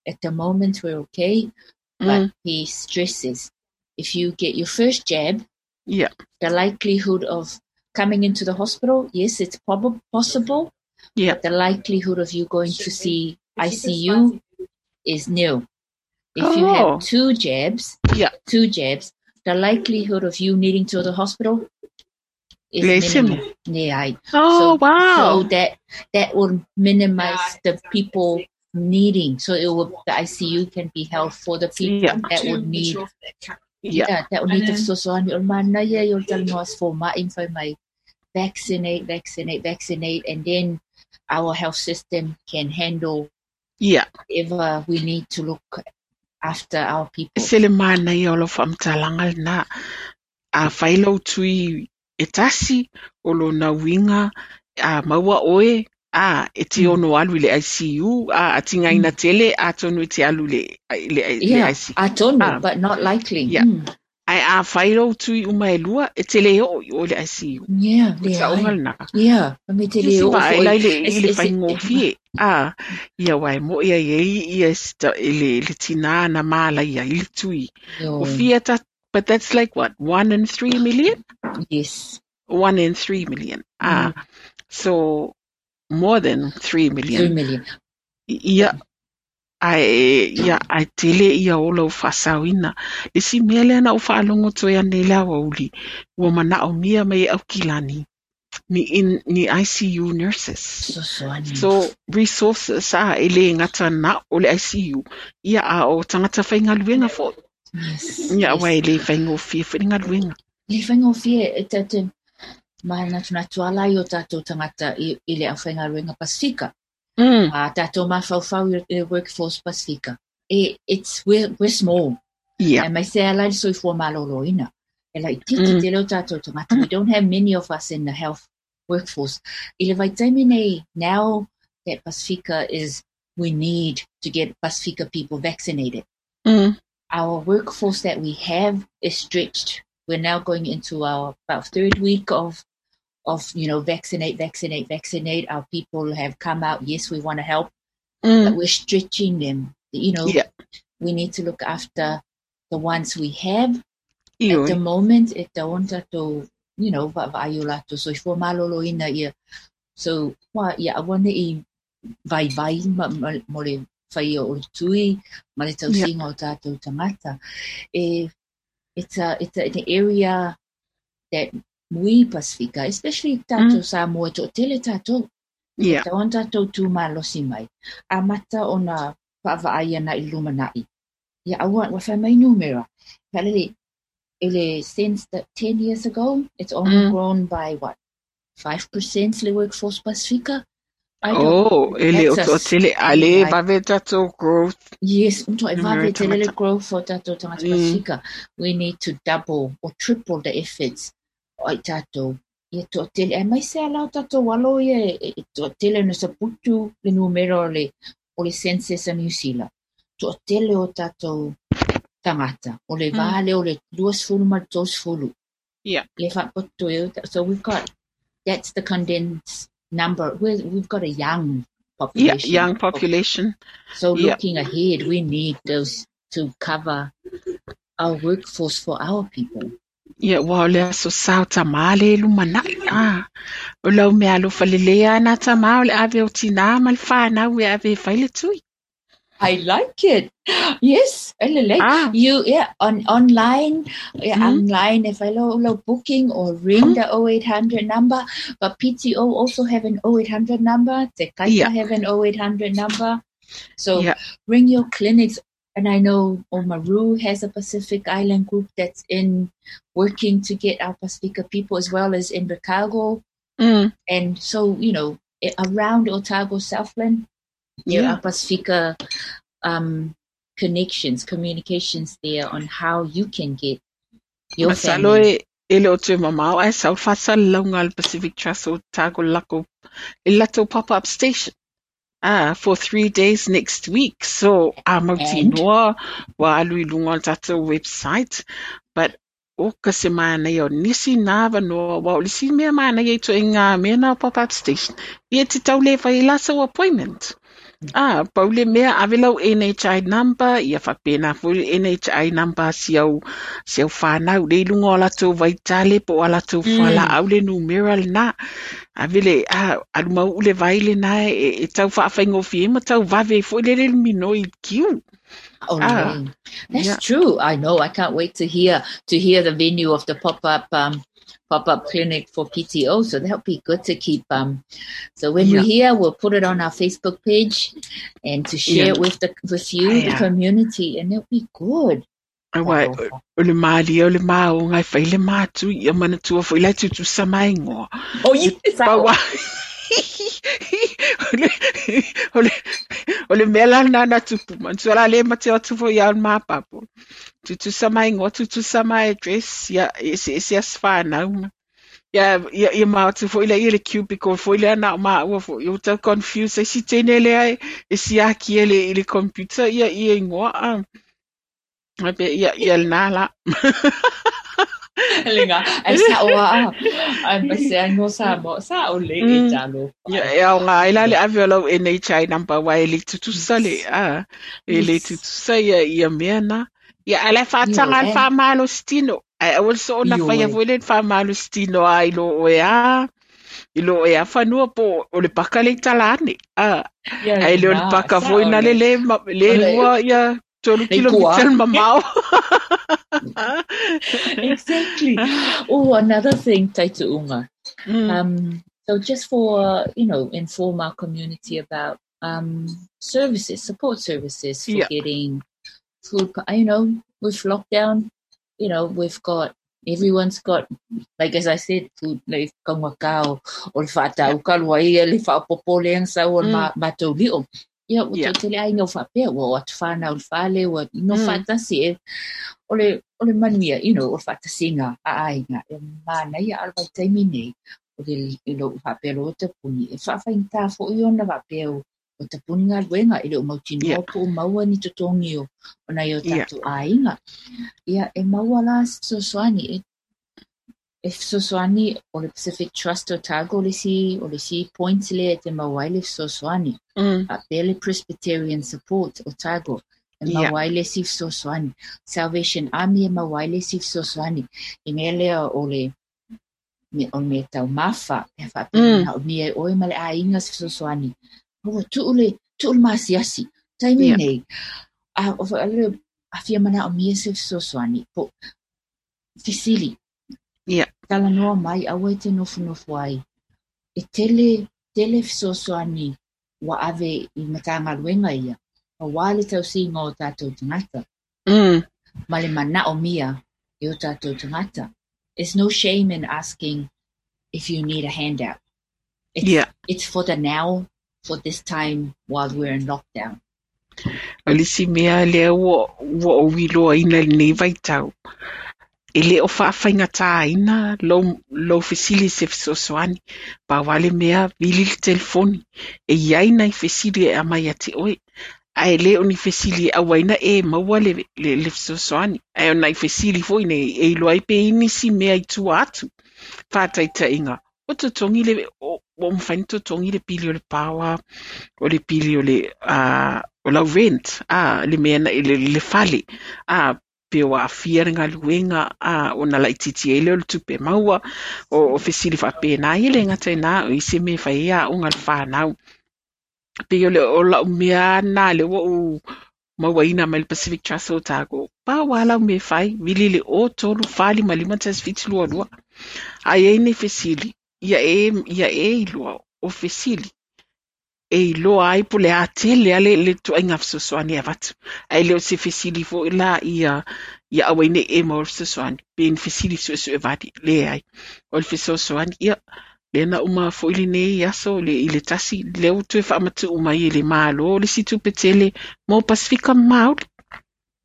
Speaker 4: at the moment we're okay, but he stresses, if you get your first jab, the likelihood of coming into the hospital, yes, it's possible. But the likelihood of you going to see ICU is nil. If you have 2 jabs, 2 jabs, the likelihood of you needing to go to the hospital is minimal. Yeah.
Speaker 3: Oh,
Speaker 4: so,
Speaker 3: wow.
Speaker 4: So that will minimize the people needing. So it will, the ICU can be held for the people that would need. Yeah, that would need the fesoasoani. O le manaia ia o le talanoa a se foma'i ma fai mai, vaccinate, vaccinate, vaccinate, and then our health system can handle whatever we need to look after our people.
Speaker 3: E se le manaia o lau faamatalaga lena. A fai lou tui e tasi, o lona uiga, a maua oe, a, e te ono alu i le ICU, a, a tigaina tele, atonu e te alu i le, i le, i le ICU.
Speaker 4: Atonu, but not likely.
Speaker 3: Yeah. Ae a fai lou tui uma e lua, e te le oo i o i le ICU.
Speaker 4: Yeah,
Speaker 3: O
Speaker 4: leai.
Speaker 3: saoga lena.
Speaker 4: Yeah, me te le oo
Speaker 3: Vaai
Speaker 4: foi.
Speaker 3: la i le, i le faigofie. A, ia aua e mo'i ai e ai ia i le, le tinā na mālaia i le tui.
Speaker 4: Ioe.
Speaker 3: O fia ta, but that's like what, 1 in 3 million?
Speaker 4: Yes.
Speaker 3: 1 in 3 million. A, so more than 3 million.
Speaker 4: 3 million.
Speaker 3: Ia, ae, ia, ae tele ia o lau faasaoina. Le isi mea lea na ou faalogo toe ane i le aoauli, ua manaomia mai e Aukilani ni, in, ni ICU nurses.
Speaker 4: Fesoasoani.
Speaker 3: So, resources, a, e le gata na o le ICU, ia a o tagata faigaluega foi.
Speaker 4: Yes.
Speaker 3: Ia,
Speaker 4: yes.
Speaker 3: aua e le faigofie foi le galuega.
Speaker 4: Le faigofie, e tatou manatunatu ala i o tatou tagata i, i le aufaigaluega Pasifika. A tatou mafaufau i le workforce Pasifika. E, it's, we're, we're small. Aemaise ala i le soifua malōlōina. E laitiiti tele o tatou tagata. We don't have many of us in the health workforce. I le vaitaimi nei, now that Pasifika is, we need to get Pasifika people vaccinated. Our workforce that we have is stretched. We're now going into our about third week of, you know, vaccinate, vaccinate, vaccinate. Our people have come out. Yes, we want to help, but we're stretching them. You know, we need to look after the ones we have. At the moment, e tatau ona tatou, you know, vaavaai i o latou soifua malōlōina ia. So, ua, ia aua ne'i vaivai ma, ma, mo le faia o le tui ma le tausiga o tatou tagata. E, it's a, it's a, an area that We Pasifika, especially tātou Samoa, e toʻatele tātou. Tatau ona tātou tu malosi mai. Amata ona vaavaai ana i le lumanai. Ia aua, ua fai mai numera. Faalele, i le since the 10 years ago, it's only grown by what? 5% le workforce Pasifika? I don't,
Speaker 3: Oh, e le o
Speaker 4: that's a
Speaker 3: toatele, a le
Speaker 4: like,
Speaker 3: vave tātou growth.
Speaker 4: Yes, matua e
Speaker 3: Numera
Speaker 4: vave tele le
Speaker 3: tangata.
Speaker 4: growth o tātou tangata Pasifika. We need to double or triple the efforts o ai tātou. Ia toatele, aemaise a la o tātou alo ia e toatele ona saputu le numera o le census a Niu Sila. Toatele o tātou tangata. O le vā lea o le 20 ma le 30. Ia faapoto e so we've got, that's the condensed number. We've got a young population.
Speaker 3: Yeah, young population.
Speaker 4: So looking ahead, we need those to cover our workforce for our people.
Speaker 3: Ia, ua o le aso sa o tamā le lumanai. Ah, o lau mea alofa lelei a nā tamā o le ave o tinā ma le whānau e ave e fai le tui.
Speaker 4: I like it. Yes, e lelei. You, yeah, on online, yeah, online e fai lau, lau booking or ring the 0800 number. But PTO also have an 0800 number. Te Kaita have an 0800 number. So ring your clinics. And I know Oamaru has a Pacific Island group that's in working to get our Pasifika people, as well as in Invercargill. And so, you know, around Otago, Southland, there are Pasifika connections, communications there on how you can get your
Speaker 3: Masalo
Speaker 4: family.
Speaker 3: e le o te mamao ai sau whasalalauga le Pacific Trust o Otago lako, e latou pop-up station. For 3 days next week. So, a mautinoa, ua alu i luga o le tātou website. But, o ka se mānaia o nisi nā wanoa, wa o le si mea mānaia i to e ngā mea nā pop-up station. Ia te tau le whai la sau appointment. Pau le mea, ave lau NHI number, ia whapena fo le NHI number si au, si au whānau, le lunga o latou vaitale, po o latou whala au le numera le nā. Ave le, alu mau ule vai le nā, e tau whaawhaingo fie, ma tau vave fo le le mino i kiu.
Speaker 4: Oh, no. That's true. I know. I can't wait to hear the venue of the pop-up clinic for PTO. So that'll be good to keep. So when we hear, we'll put it on our Facebook page and to share it with you, the community, and it'll be good.
Speaker 3: Awa, o le malia, o le maonga, ngai whai le mātu, ia mana tua fo i lai tutu sa maingoa.
Speaker 4: Oh, yes.
Speaker 3: Paua. O le mea la nana tupu, mantua la le mate o tupu ia o le māpapo. Tutu sa maingoa, tutu sa mai address, ia, e se, e se as whānau. Ia, ia, ia mātu fo i lai le cubicle, fo i lea nā o māua fo, i o tau confuse, e si tēne lea e, e si aki e le, i le computer, ia, ia ingoa, a. Ai pe, ia, ia le nā la.
Speaker 4: Lenga, ai sa o a, ai ma se ai no sa mo, sa o le e talo.
Speaker 3: Ia, e au ngā ila le ave o lau NHI number wa e le tutusa le, a, e le tutusa ia, ia mea nā. Ia, ala whātanga al whāmalo stino. Ai, awal so ona whaia fo le whāmalo stino a i lo oe a, i lo oe a whanua po o le paka le talane. A, ai le o le paka fo ina le le, le lua ia, tolu kilometer mamao.
Speaker 4: Exactly. Oh, another thing, Taitu'uga. So just for, you know, inform our community about services, support services for getting food, you know, with lockdown, you know, we've got, everyone's got, like as I said, food, like kaungakao, o le whaatau kalua ia, le whaapopole ang sau o le mātou lio. Ia, ua tele ai ngau whapea, ua o atu whānau le whale, ua no whaatasi e, o le manuia, you know, o le whaatasinga, a ainga, e mana ia alwa i taimi nei, o le lo whapea lo tapuni, e whaawhainga fo i ona whapea o tapuni ngā luenga, e le o mautinoa po o maua ni totongi o, o nai o tātou ainga. Ia, e maua la fesoasoani, e fesoasoani o le Pacific Trust Otago le si, o le si point le e te maua ai le fesoasoani. A pele Presbyterian Support Otago, e maua ai le si fesoasoani. Salvation Army e maua ai le si fesoasoani. E mea lea o le, me, o me tau mafa, e whaapea na o mea oe ma le ainga se fesoasoani. O, tuu le, tuu le masiasi, taimi nei. A, o, a, le, a fia mana o mea se fesoasoani. Po, fisili.
Speaker 3: Ia.
Speaker 4: Talanoa mai, aua e te nofonofo ai. E tele, tele fesoasoani ua ave i Matagaluega ia, aua le tausiga o tatou tagata. Ma le manaomia e o tatou tagata. There's no shame in asking if you need a handout. It's, it's for the now, for this time while we're in lockdown.
Speaker 3: O le isi mea lea ua ou iloaina i lenei vaitau, e le o faafaigataina lou fesili i se fesoasoani. Pau lava le mea, vili le telefoni. E i ai nai fesili e aumai ia te oe, ae le o ni fesili e aua ai na e maua le fesoasoani. Ae o nai fesili foi nei e iloa ai pe i ai nisi mea i tua atu. Faataitaiga, ua totogi le, ua mafai ona totogi le pili o le power, o le pili o le o lau rent, le mea le fale, pe ua aafia le galuega, ona laitiiti ai lea o le tupe maua, o fesili faapena. E le gata i lena, o isi mea e fai ai aoga a le fanau. Pei o lau mea lena lea ua ou mauaina mai le Pacific Trust o Otago. Pau lava lau mea e fai, vili le 0 3 4 5 5 1 7 2 2. A i ai ni fesili, ia e iloa o fesili e iloa ai po o le a tele lava le ituaiga fesoasoani e avatu. Ae le o se fesili foi la ia aua ai ne i e maua le fesoasoani, pe ni fesili suesue vale, leai. O le fesoasoani, ia, lea na uma foi lenei aso i le 1, lea ua toe faamatuu mai e le Malo le isi tupe tele mo Pasifika Māori.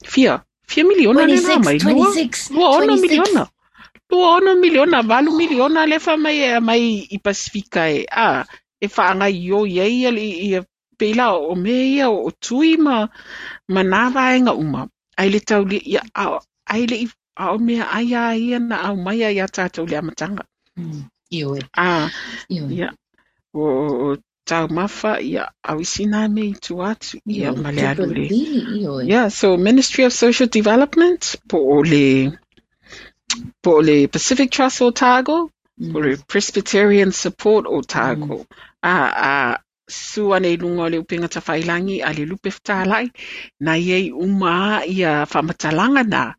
Speaker 3: Fia miliona lea na aumai? 26 miliona. 26 miliona, 8 miliona lea fai mai e aumai i Pasifika e, e faagaioi ai ia pei la o mea ia o tui ma nā vaega uma. Ai le tauli, ia, ai le a o mea ai a ia na aumai ai ia tātou le amataga.
Speaker 4: Ioe.
Speaker 3: Ia, o taumafa, ia, au isi nā mea i tua atu, ia, ma le alu le. Yeah, so Ministry of Social Development, po o le Pacific Trust Otago, po o le Presbyterian Support Otago. Su ane i lunga o le upenga tawhailangi a le lupe whatalai, na iei uma ia whamatalanga nā.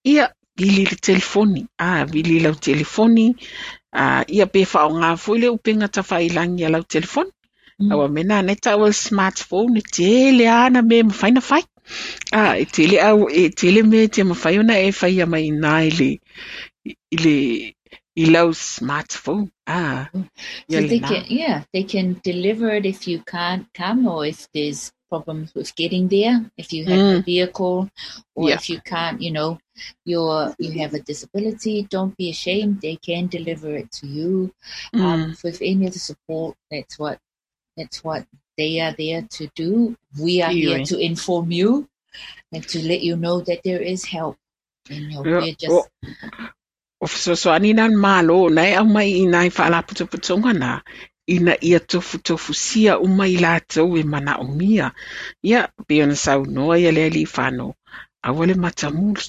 Speaker 3: Ia, vili le telefoni. Vili lau telefoni. Ia pe whaonga foi le upenga tawhailangi a lau telefoni. Aua mena nei tau o smartphone, tele ana me mawhai na whai. E tele au, e tele me te mawhai ona e whai a mai nā i lau smartphone.
Speaker 4: So they can, they can deliver it if you can't come or if there's problems with getting there, if you have a vehicle or if you can't, you know, you have a disability, don't be ashamed. They can deliver it to you. With any of the support, that's what they are there to do. We are here to inform you and to let you know that there is help. And you know, we're just...
Speaker 3: O fesoasoani nā malo, na e au mai i nai whaalaputoputonga nā, ina ia tofutofu sia uma i lātou e mana o mia. Ia, pe ona saunoa ia le Alifano, aua le matamuli.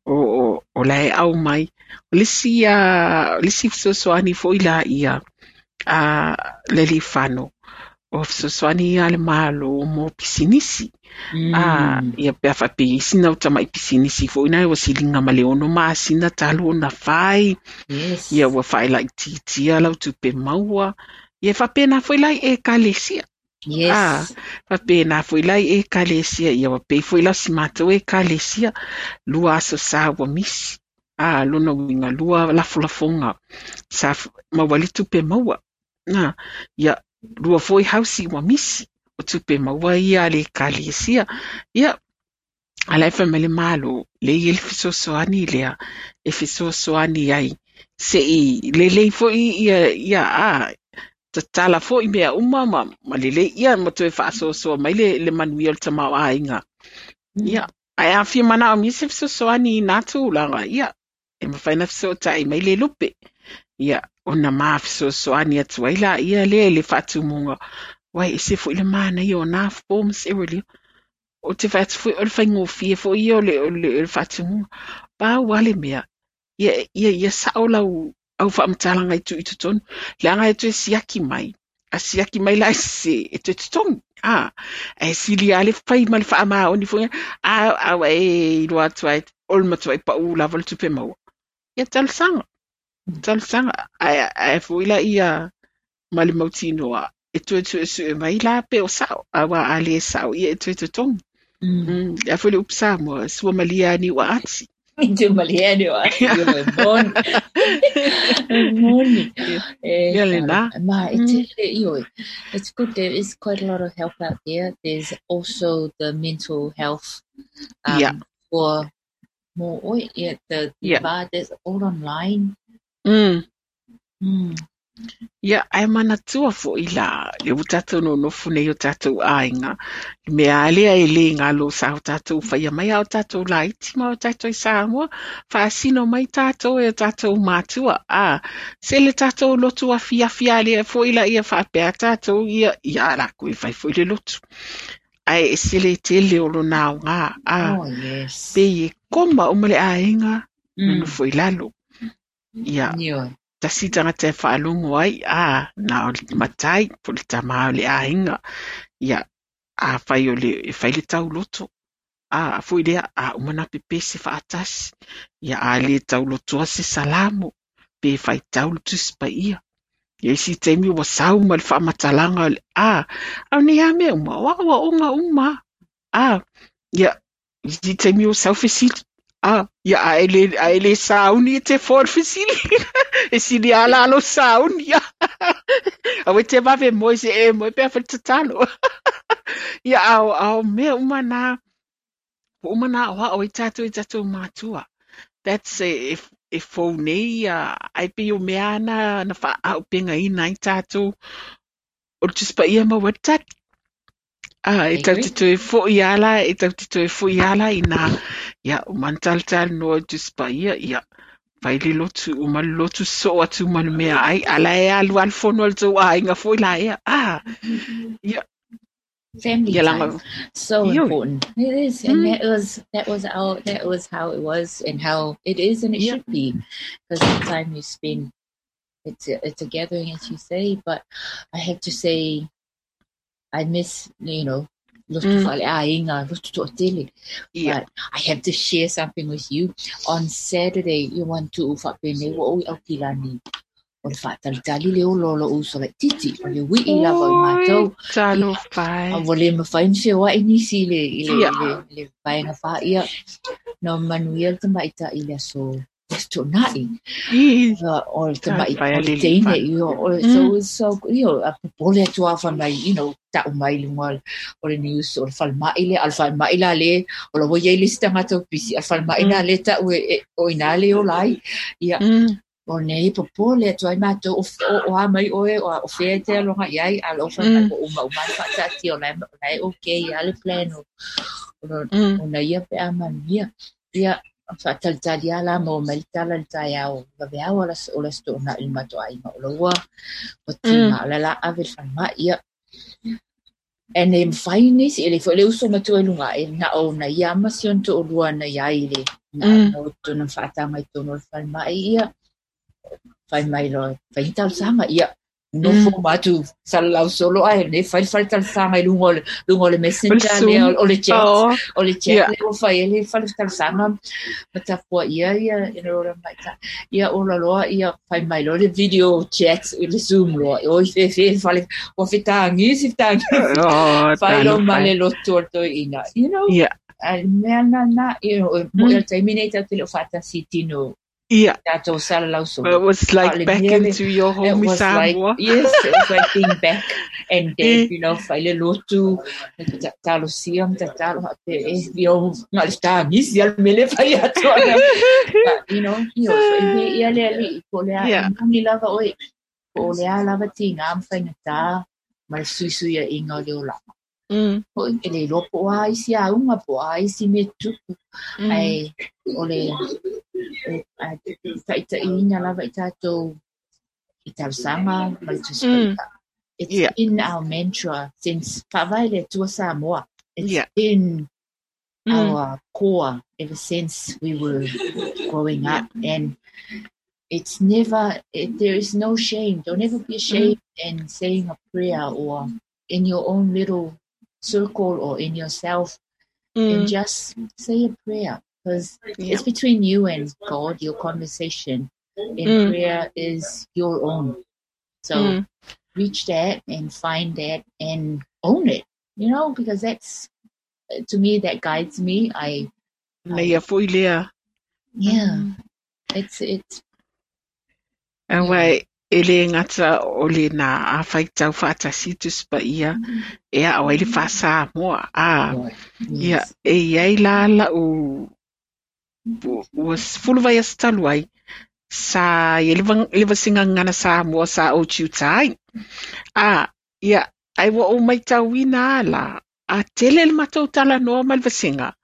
Speaker 3: O la e au mai. O le isi fesoasoani foi la ia le Alifano. O fesoasoani ia le malo mo pisinisi. Ia pea whape isi nau tamai pisinisi foi nai wa silinga ma le ono maasina talu ona whai.
Speaker 4: Yes.
Speaker 3: Ia ua whai lai titia lau tupe maua. Ia whapena foi lai e kalesia.
Speaker 4: Yes.
Speaker 3: Whapena foi lai e kalesia. Ia wapei foi lau si mātou e kalesia. Lua aso sa ua misi. Lona winga lua lafolafonga. Sa mawali tupe maua. Ia lua foi hausi ua misi. O tupe maua ia le kalesia. Ia, ala e whamele malo, le i ele fesoasoani lea, e fesoasoani ai. Se i lelei foi ia tatala foi mea uma ma lelei ia ma toe whaasoasoa mai le manuia o le tamao ainga. Ia, ai a whia mana o mi se fesoasoani i nā tūlanga, ia, e mawhai na fesoatai mai le lupe. Ia, ona mā fesoasoani atu ai la, ia le le whaatumunga. Wai, e se foi le mana ia o nā forms e rili. O te whaatu foi, o le whaingōwhia foi ia o le whaatumunga. Pā wale mea, ia sao lau au whaamatalanga i tu i totonu. Le anga e toe siaki mai. A siaki mai la e se, e toe totongi. E sili a le whai ma le whaama oni foi. A e iloa atu ai, o le matua i pau lava le tupe maua. Ia talosanga. Talosaga, ae ae foi laia ma le mautinoa e toe suesue mai la pe o sa'o, auā a lē sa'o ia e toe totogi. Le a foi le upu Samoa, sua malie a niu aati.
Speaker 4: Sua malie a niu aati, ioe, e moni. E moni. E,
Speaker 3: Ia lena.
Speaker 4: Ma, e tele, ioe. It's good, there is quite a lot of help out there. There's also the mental health for mo oe, yeah, the va, that's all online.
Speaker 3: Ia, ae manatua foʻi la, lea ua tatou nonofo nei i o tatou aiga, le mea lava lea e le galo sa o tatou faia mai a o tatou laiti ma o tatou i Samoa, faasino mai tatou e o tatou matua, a, se le tatou lotu afiafi lava lea foi laia faapea tatou, ia, ia lakou e fai foi le lotu. Ae ese le tele o lona aoga, a,
Speaker 4: Oh, yes.
Speaker 3: pei e koma uma le aiga, nonofo i lalo. Ia,
Speaker 4: Ioe.
Speaker 3: tasi tagata e faalogo ai, a, na o le matai po o le tamā o le aiga. Ia, afai o le, e fai le tauloto, a, a foi lea, a uma ona pepese faatasi. Ia, a le taulotoa se salamo, pe faitau le Tusi Paia. Ia isi taimi ua sau ma le faamatalaga o le, a, a o nei lava mea uma, o aoaoga uma. A, ia, isi taimi ua sau fesili, a, ia, a e le, a e le sauni e te foa i le fesili. E sili lava la lou sauni. Aua e te vave moe se e moe pe a fai le tatalo. Ia, a o, a o mea uma na, ua uma ona aoao ai tatou i tatou matua. That's e, e, e fou nei, ia, ai pei o mea na, na faaaupegaina ai tatou o le Tusi Paia e maua ai le tali. A, e
Speaker 4: I
Speaker 3: tatou
Speaker 4: agree.
Speaker 3: te toe foʻi lava la, e tatou te toe foʻi lava la i ina, ia, uma ona talatalanoa i le Tusi Paia, ia, fai le lotu, uma le lotu sosoo atu ma le meaai, a la e alu lava le fono a le tou aiga foi la ea. A, ia,
Speaker 4: Family
Speaker 3: ia
Speaker 4: time.
Speaker 3: laga,
Speaker 4: So
Speaker 3: ioe.
Speaker 4: important. It is. And that was how it was and how it is and it should be. Because the time you spend, it's a gathering, as you say, but I have to say I miss, you know, lotu faleaiga, lotu toʻatele. But I have to share something with you. On Saturday, you want to faapenei ua ou i Aukilani. O le faatalitali le ola o loʻu uso laitiiti, o le uiʻi lava o i
Speaker 3: Oi,
Speaker 4: matou. Ia,
Speaker 3: talofa
Speaker 4: a
Speaker 3: e.
Speaker 4: ua le mafai ona feoaʻi nisi i le, i le, i le, i le vaega fā. Ia, na manuia le tamaitaʻi i le aso, le aso Toonai. O le tamaʻi,
Speaker 3: Talofa e
Speaker 4: o le
Speaker 3: alii
Speaker 4: teine,
Speaker 3: fa.
Speaker 4: ia, o le, so, so, ia, a popole atu lava fai mai, taʻu mai i luga o le news, o le falemai lea, a o le falemai la le, o la ua i ai le isi tagata ua pisi, a o le falemai lena lea e taʻu e, e, o i ina le ola ai. Ia, o nei popole atu ai matou, o, o, o a mai oe, o, o fea e te aloga i ai, a o fai mai ua uma uma ona faataatia, o la e, o la e okay lava le plan o, o, o na ia pe a manuia. Ia, faatalitali lava la maua mai le tala i le taeao, vaveao o le Aso Toonai i le matou aiga, o la ua ua tiga, o le a ave i le falemai. Ia, e le mafai nisi, e le foi le uso matua i luga aʻe, na o na ia ma si ona toʻalua na iai i le na na tona faataga i totonu o le falemai, ia, fai mai loa, fai ni talosaga, ia, nofo ma atu salalau solo ae nei fai le fale talosaga i luga o le, luga o le
Speaker 3: O le
Speaker 4: messenger lea,
Speaker 3: Zoom.
Speaker 4: o le chat,
Speaker 3: Oh,
Speaker 4: o le chat lea ua fai ai le fale talosaga ma tapuaʻia ia i le maʻitaʻi. Ia ola loa, ia fai mai loa le video chat i le Zoom loa. Oi fefe le fale, ua fetagi si fetagi.
Speaker 3: Oh,
Speaker 4: Fai loa ma
Speaker 3: talofa e.
Speaker 4: le lotu o le toeaina. A le mea lena, moʻi o le taimi nei tatou te le o faatasi i tino tatou salalau solo.
Speaker 3: It was like
Speaker 4: Le
Speaker 3: back
Speaker 4: mea le-
Speaker 3: into your
Speaker 4: It
Speaker 3: home
Speaker 4: was like,
Speaker 3: Samoa.
Speaker 4: yes, it was like being back and dad, fai le lotu, talosia ma tatalo hape, na le tagisi a le mele fai atu ana. But, so e mea ia le aliʻi, po o le a e moni lava oe, po o le a lava tiga ma faigata ma le suisuiaʻiga o le olaga. Hoʻi, e le iloa po o a isi auga, po o a isi mea tupu. Ae o le e, a taʻitaʻiina lava i tatou i talosaga ma le Tusi Paia. It's been our mantra since faavae le Atua Samoa. It's been our core ever since we were growing up, and it's never, it, there is no shame. Don't ever be ashamed in saying a prayer or in your own little circle or in yourself, and just say a prayer, because it's between you and God, your conversation. in prayer is your own. So reach that and find that and own it, you know, because that's, to me, that guides me. I,
Speaker 3: Na ia foi lea.
Speaker 4: Yeah, it's
Speaker 3: Aua e le gata o le na a faitau faatasi Tusi Paia e aao ai le faa-Samoa. A, ia, e i ai la lau ua 10 vaiaso talu ai, sa i ai le vasega gagana Samoa sa ou tiuta ai. A, ia, ai ua ou matauina lava la, a tele le matou talanoa ma le vasega,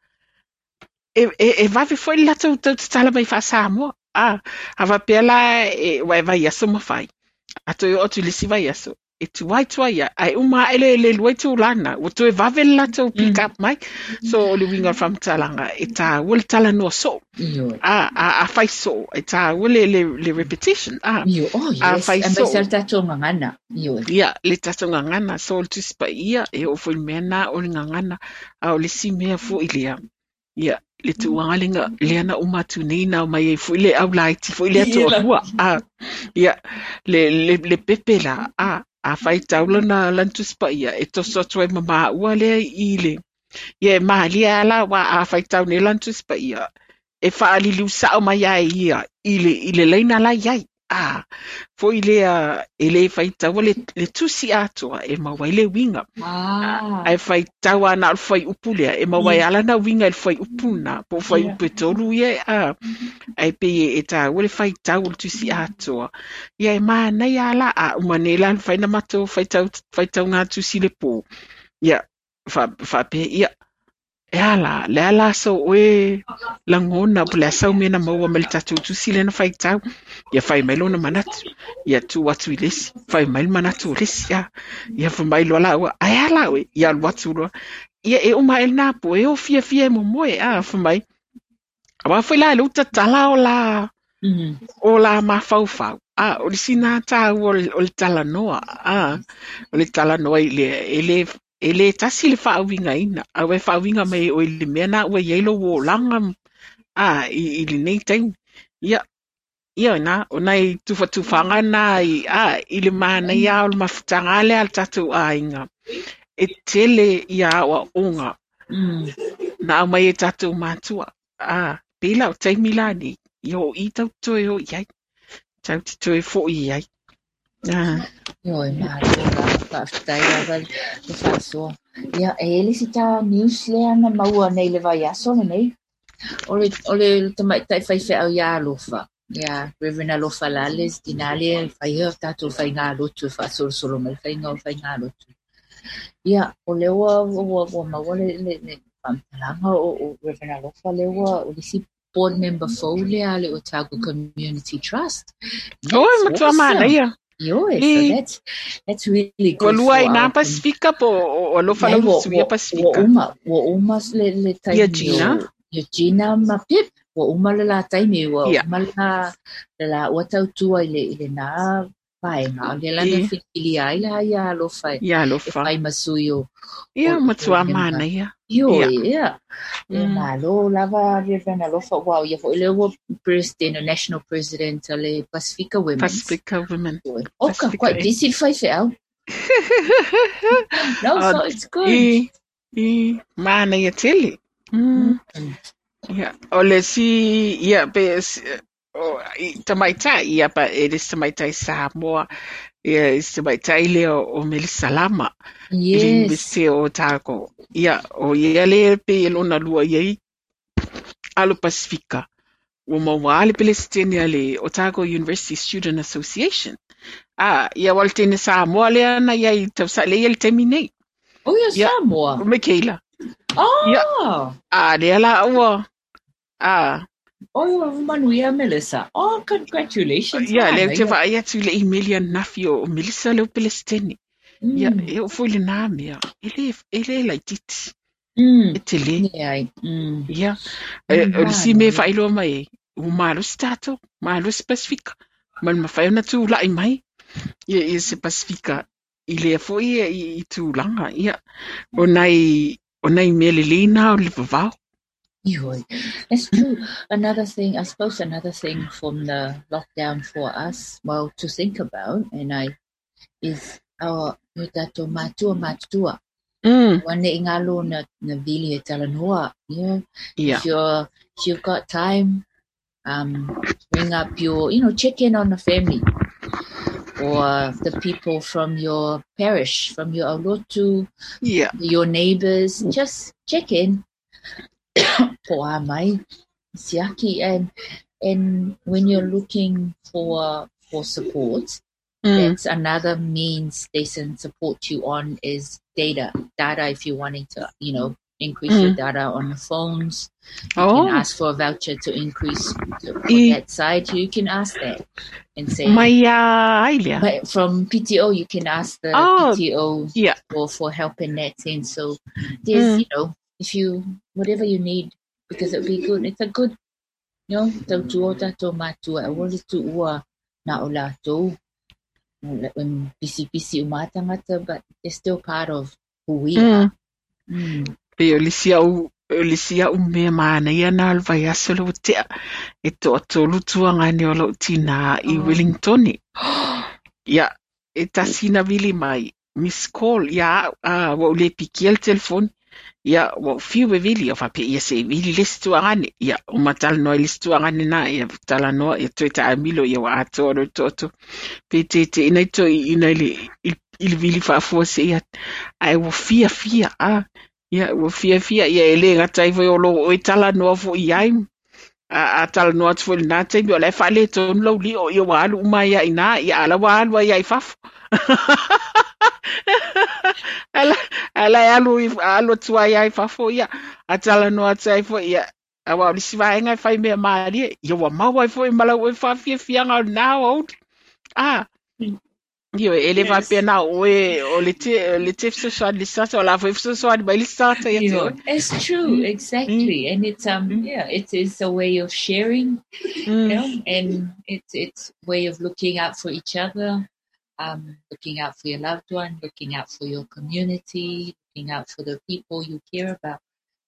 Speaker 3: e vave foi le latou tau tatala mai faa-Samoa. A, a faapea la e, ua e vaiaso ma fai, a toe oo atu i le isi vaiaso, e tuai tuai ia, ae uma ae le lua itula lena, ua toe vave le latou pick up mai. So o le uiga o le faamatalaga, e tāua le talanoa soo. A fai soo, e tāua le repetition. A,
Speaker 4: Ioe. Oh,
Speaker 3: a
Speaker 4: yes.
Speaker 3: fai
Speaker 4: Aemaise
Speaker 3: soo.
Speaker 4: le tatou gagana. Ioe.
Speaker 3: Ia, le tatou gagana, so o le Tusi Paia, e oo foi i le mea lena o le gagana, a o le isi mea foi lea, ia, le tulaga lea, lea na uma atu nei na aumai ai foi le aulaiti foi lea toalua. A, ia, le pepe la, a faitau lana Tusi Paia, e toso atu ai ma maua lea i le, ia e malie lava la, aua a faitau nei lana Tusi Paia, e faaliliu sao mai ai ia i le laina la i ai. A, foi lea e le faitaua le tusi atoa e maua ai le uiga. Ae faitau lava na o le fuaiupu lea, e maua ai lava lana uiga i le fuaiupu lena, po o fuaiupu e tolu ia, a, ae pei e taua le faitau o le tusi atoa. Ia e manaia lava la, a uma nei la mafai ona matou faitau, faitauga tusi i le po. Ia, faapea, ia, e a la, le a la sau oe lagona, po o le a sau mea na maua mai le tatou tusi lea na faitau. Ia fai mai lona manatu, ia tuu atu i le isi, fai mai le manatu o le isi, a. Ia fai mai loa laua, ae a la oe, ia alu atu loa. Ia e uma ae lena po, e o fiafia e momoe, a, fai mai. Aua foi la e le tatala o la, o la mafaufau. A, o le isi na tāua o le talanoa, a, o le talanoa i le, e le tasi le faauigaina, a ua e faauiga mai e oe i le mea na ua i ai lou olaga, a, i lenei taimi. Ia, ia na, o nai tufatufaga na i, a, i le manaia o le mafutaga lea a le tatou aiga. E tele ia aoaoga na aumai e tatou matua. A, pei la o taimi la nei, ia o i tau toe o i ai. Tau te toe foi i ai. A.
Speaker 4: Ioe, malo lava, faafetai lava le faasoa. Ia, e i ai le isi ta news lea na maua nei i le vaiaso lenei. O le tamaitai faifeau iā Alofa. Ia, Reverend Alofa Lales, tina lea e fai o tatou faigalotu e faasolosolo mai le faiga o faigalotu. Ia, o lea ua maua le faamatalaga o Reverend Alofa lea ua o le isi board member fou lea a le Otago Community Trust.
Speaker 3: Oi, matua manaia.
Speaker 4: Ioe, so that's really good.
Speaker 3: Ua lua i nā Pasifika po o Alofa lau suia Pasifika.
Speaker 4: Ua uma le taimi.
Speaker 3: Ia Gina.
Speaker 4: Ia Gina ma Pip. Ua uma le la taimi, ua uma le la ua tautua i le nā vaega. O le la na filifilia ai la ia Alofa
Speaker 3: Ia Alofa.
Speaker 4: e fai ma sui o
Speaker 3: Ia matua manaia.
Speaker 4: Ioe, ia. Ia malo lava Reverend Alofa. Wow, ia foi lea ua president, national president a le Pasifika Women.
Speaker 3: Pasifika Women.
Speaker 4: Oh, quite busy le faifeau. No, so it's good.
Speaker 3: I, manaia tele. Ia, o le si, ia, pe, o, i, tamaitai, ia, pa, e le si tamaitai Samoa, ia, i si tamaitai lea o Melissa Lama. I le University o Otago. Ia, o ia le pe e lona lua ia i alo Pasifika. Ua maua le pelesitene a le Otago University Student Association. A, ia wa le tene Samoa lea na ia i tausa le ia le taimi nei.
Speaker 4: Oh, ia
Speaker 3: Ia.
Speaker 4: Samoa.
Speaker 3: O Michaela.
Speaker 4: Oh.
Speaker 3: Ia. A, lea la ua. A,
Speaker 4: Oh, ia manuia Melissa. Oh, congratulations.
Speaker 3: Ia, lea te
Speaker 4: Manaia.
Speaker 3: vaai atu i le email ia nafi o Melissa leo pelesitene. Ia, e o foi le nā mea. E le laititi. E te le.
Speaker 4: Leai.
Speaker 3: Ia, e, o le si mea
Speaker 4: Manaia.
Speaker 3: faailoa mai ai, ua malosi tatou, malosi Pasifika. Ma le mafai ona tulai mai. Ia, ia se Pasifika i lea foi i tulaga. Ia, o nai mea lelei nā o le vavao.
Speaker 4: Ioe. That's true. Another thing, I suppose another thing from the lockdown for us, well, to think about, and I, is our o tātou mātua mātua. Ua nei ngalo na, na vili e talanoa. You know, if you're, if you've got time, ring up your, you know, check in on the family or the people from your parish, from your aulotu, your neighbors, just check in. Po a mai, siaki, and when you're looking for support, that's another means they can support you on is data. Data if you're wanting to, you know, increase your data on the phones. You can ask for a voucher to increase for that side. You can ask that and say
Speaker 3: Mai a ai lea.
Speaker 4: But from PTO, you can ask the PTO for help in that sense. So there's, you know, if you, whatever you need, because it'll be good. It's a good, you know, tautua o tātou mātua, e wale tuua na o lātou. When busy, busy o mātangata, but they're still part of who we are.
Speaker 3: Pe o le isi au, o le isi au mea manaia na o le vaiaso le ua tea, e toatolu tuagane o lou tinā i Wellington. Ia, e tasi na vili mai, miss call, ia au, a, ua ou le pikia le telefoni. Ia, ua ou fiu e vili, o faapea ia se i vili le isi tuagane. Ia, uma talanoa i le isi tuagane na, ia talanoa, ia toe taamilo, ia ua atoa loa le toatolu. Pe teteina i toeaiina i le, i le vili faafua seia atu. Ae ua fiafia, a, ia, ua fiafia, ia e le gata ai foi o lo oe talanoa foi i ai. A, a talanoa atu foi i lena taimi, o la e faaletonu lou lio, ia ua alu uma ai lava i ina, ia a o la ua alu ai lava i fafo. Ae la, ae la e alu, alu atu ai lava i fafo, ia, a talanoa atu ai foi, ia, aua o le isi vaega e fai mea malie, ia ua maua ai foi ma lau oe faafiafiaga o lena aoauli. A, ioe, e le faapea na o oe o le te, le te fesoasoani i le isi tagata, o la foi e fesoasoani mai le isi tagata ia te oe.
Speaker 4: It's true, exactly. And it's yeah, it is a way of sharing, you know, and it's way of looking out for each other, looking out for your loved one, looking out for your community, looking out for the people you care about.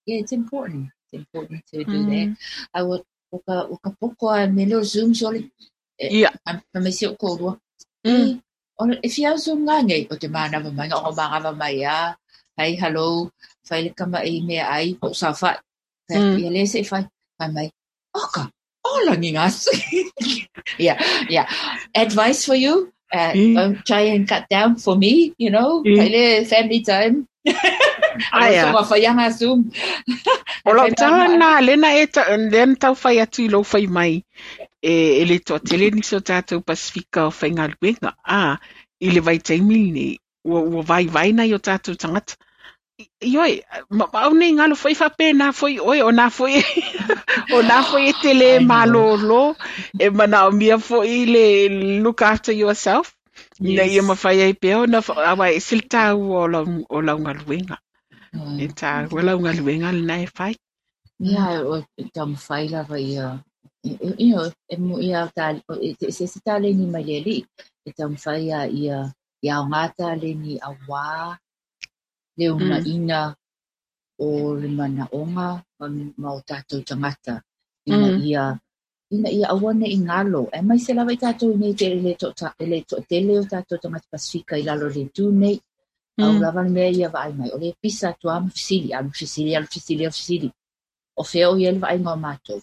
Speaker 4: Yeah, it's important. It's important to do that. I would o ka, o ka poko a me leo Zoom sole. E, ma si o kōrua. E, o, e fia Zoom ngā nei, o te mānawa mai, o mānawa mai a, hei, hello, whai le kama e mea ai, o sa whai. Ia le se i whai, whai mai, oka, o langi ngā Yeah, yeah. Advice for you, don't try and cut down for me, you know, kai le family time.
Speaker 3: Ai a.
Speaker 4: Aua whai anga Zoom.
Speaker 3: O lau tala lena, lena e ta, lea na tau fai atu i lou fai mai, e, e le toatele nisi o tātou Pasifika o faigaluega, a, i le vaitaimi lenei, ua, ua vaivai nai o tātou tagata. Ioe, ma, ma au nei ngalo foi faapena foi oe, o nā foi, o nā foi e te lē
Speaker 4: I know.
Speaker 3: malōlō, e manaomia foi le look after yourself, ina ia mawhai ai pea ona, aua e ese le tāua o lau, o lau galuega. E tāua lau galuega lena e fai.
Speaker 4: Ia, o taumafai lava ia, you know, e mo ia ta, e se se taleni mai le alii, e taumafai ia ia ia aoga taleni auā le unaina o le manaoga ma o tātou tagata ina ia ina ia aua nei galo. Aemaise lava i tātou i nei te le to, le toatele o tātou tagata Pasifika i lalo le tu nei. Au lava le mea ia vaai mai, o le pisa atu a ma fesili, alu fesili, alu fesili, alu fesili. O fea o i ai le vaaiga o mātou.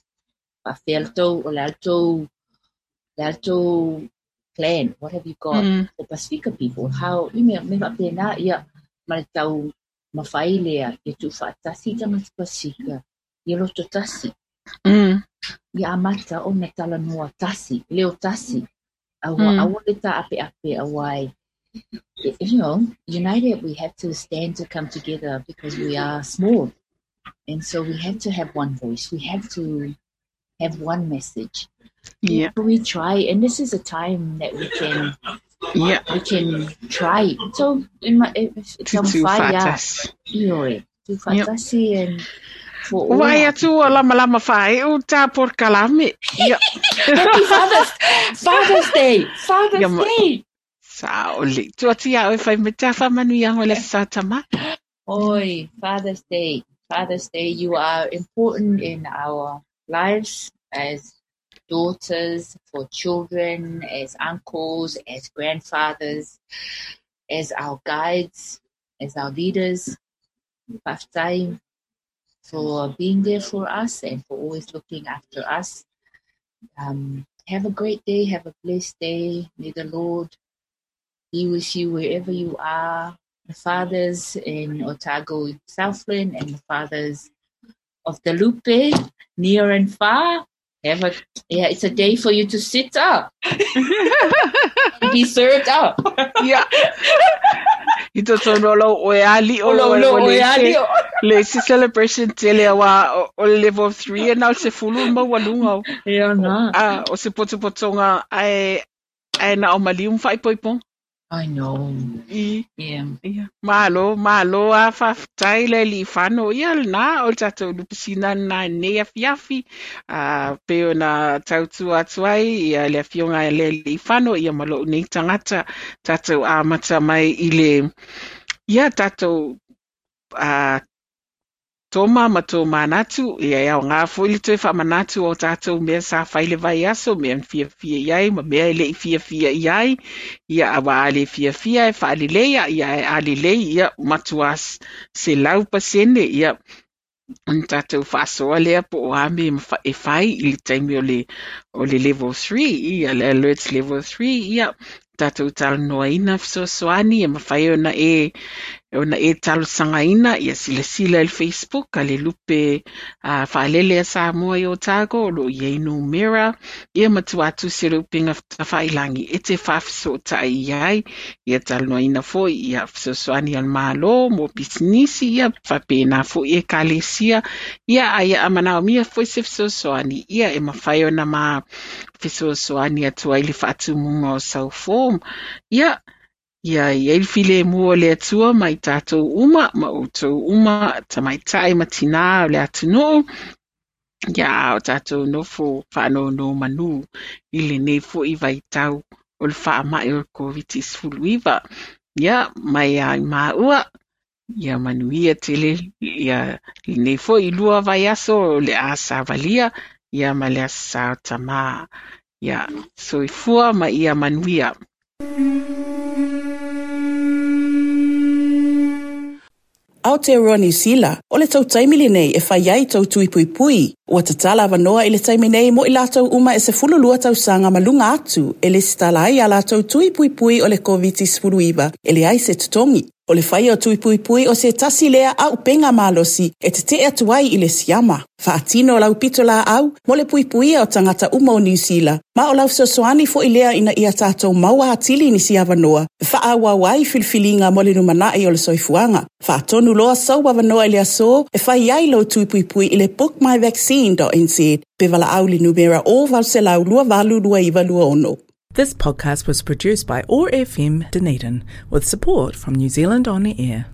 Speaker 4: Faapefea le tou, o le a le tou, le a le tou plan, what have you got for Pasifika people, how, i mea, me faapena, ia, ma le tau mawhai lea, ia tuufaatasi tagata Pasifika, ia loto tasi. Ia amata ona talanoa tasi, leo tasi, aua, aua le tā'ape'ape auā e, you know, united we have to stand to come together because we are small. And so we have to have one voice. We have to have one message. We try, and this is a time that we can we can try. So in my if
Speaker 3: Tutu
Speaker 4: taumafai ia
Speaker 3: faatasi.
Speaker 4: ioe, tuufaatasi and for all
Speaker 3: Ua ai
Speaker 4: our
Speaker 3: atu ua lamalama faaeu tā polokalame. Ia.
Speaker 4: Happy Father's Father's Day.
Speaker 3: Ia
Speaker 4: Father's
Speaker 3: ma
Speaker 4: Day.
Speaker 3: Sao le. Tuu atu iā oe fai mai tā faamanuiaga o le Aso Sa Tama.
Speaker 4: Oi, Father's Day. Father's Day. You are important in our lives as daughters, for children, as uncles, as grandfathers, as our guides, as our leaders. Fa'afetai for being there for us and for always looking after us. Have a great day. Have a blessed day. May the Lord be with you wherever you are. The fathers in Otago, Southland, and the fathers of the Lupe, near and far. It's a day for you to sit up and be served up.
Speaker 3: Yeah. I totonu o lau oe ali o
Speaker 4: lau oe ali o.
Speaker 3: Le isi celebration tele aua o le level 3 e na o se fulu maualuga o.
Speaker 4: Ia na.
Speaker 3: O se potopotoga ae ae na o maliu ma faaipoipoga.
Speaker 4: I know.
Speaker 3: I.
Speaker 4: Yeah.
Speaker 3: Ia. Malo, malo a faafetai le alii Fano. Ia lena o le tatou lupesina lena i lenei afiafi. A pei ona tautua atu ai ia le afioga i le alii Fano ia ma lou nei tagata tatou amata mai i le ia tatou a toma ma tomanatu, ia e aoga foi le toe faamanatu o tatou mea sa fai le vaiaso, mea na fiafia i ai ma mea e le'i fiafia i ai. Ia auā a le fiafia e faaleleia, ia ae a lelei, ia matuā 100%, ia ona tatou faasoa lea po o a mea e fai i le taimi o le level 3, ia le alert level 3, ia tatou talanoaina fesoasoani e mafai ona e talosagaina, ia silasila i le Facebook a le Lupe Faalele a Samoa i Otago, o loo i ai numera, ia matua tusi o le upega tafailagi e te faafesootai i ai, ia talanoaina foi ia fesoasoani a le Malo mo pisinisi, ia faapena foi ekalesia, ia aia a manaomia foi se fesoasoani, ia e mafai ona ma fesoasoani atu ai le faatumuga o sau form. Ia ia i ai le filemu o le Atua ma i tatou uma ma outou uma tamaitai ma tinā o le atunuu, ia a o tatou nofo faanonomanu i lenei foi vaitau o le faamai o le Koviti-19. Ia mai a i maua, ia manuia tele ia lenei foi 2 vaiaso o le a savalia, ia ma le Aso Sa o Tamā. Ia soifua ma ia manuia.
Speaker 2: Aotearoa Niu Sila, o le tou taimi lenei e fai ai tou tui puipui. Ua tatala avanoa i le taimi nei mo i latou uma e 12 tausaga ma luga atu e lesitala ai a latou tui puipui o le Koviti-19 e leai se totogi. O le faia o tui puipui o se tasi lea auupega malosi e tetee atu ai i le siama. Faatino lau pitolaau mo le puipuia o tagata uma o Niu Sila, ma o lau fesoasoani foi lea ina ia tatou maua atili nisi avanoa e faaauau ai filifiliga mo le lumanai o le soifuaga. Faatonu loa sou avanoa i le aso e fai ai lou tui puipui i le bookmyvaccine.nz pe valaau i le numera 0800 28 2926.
Speaker 1: This podcast was produced by OAR FM Dunedin with support from New Zealand On Air.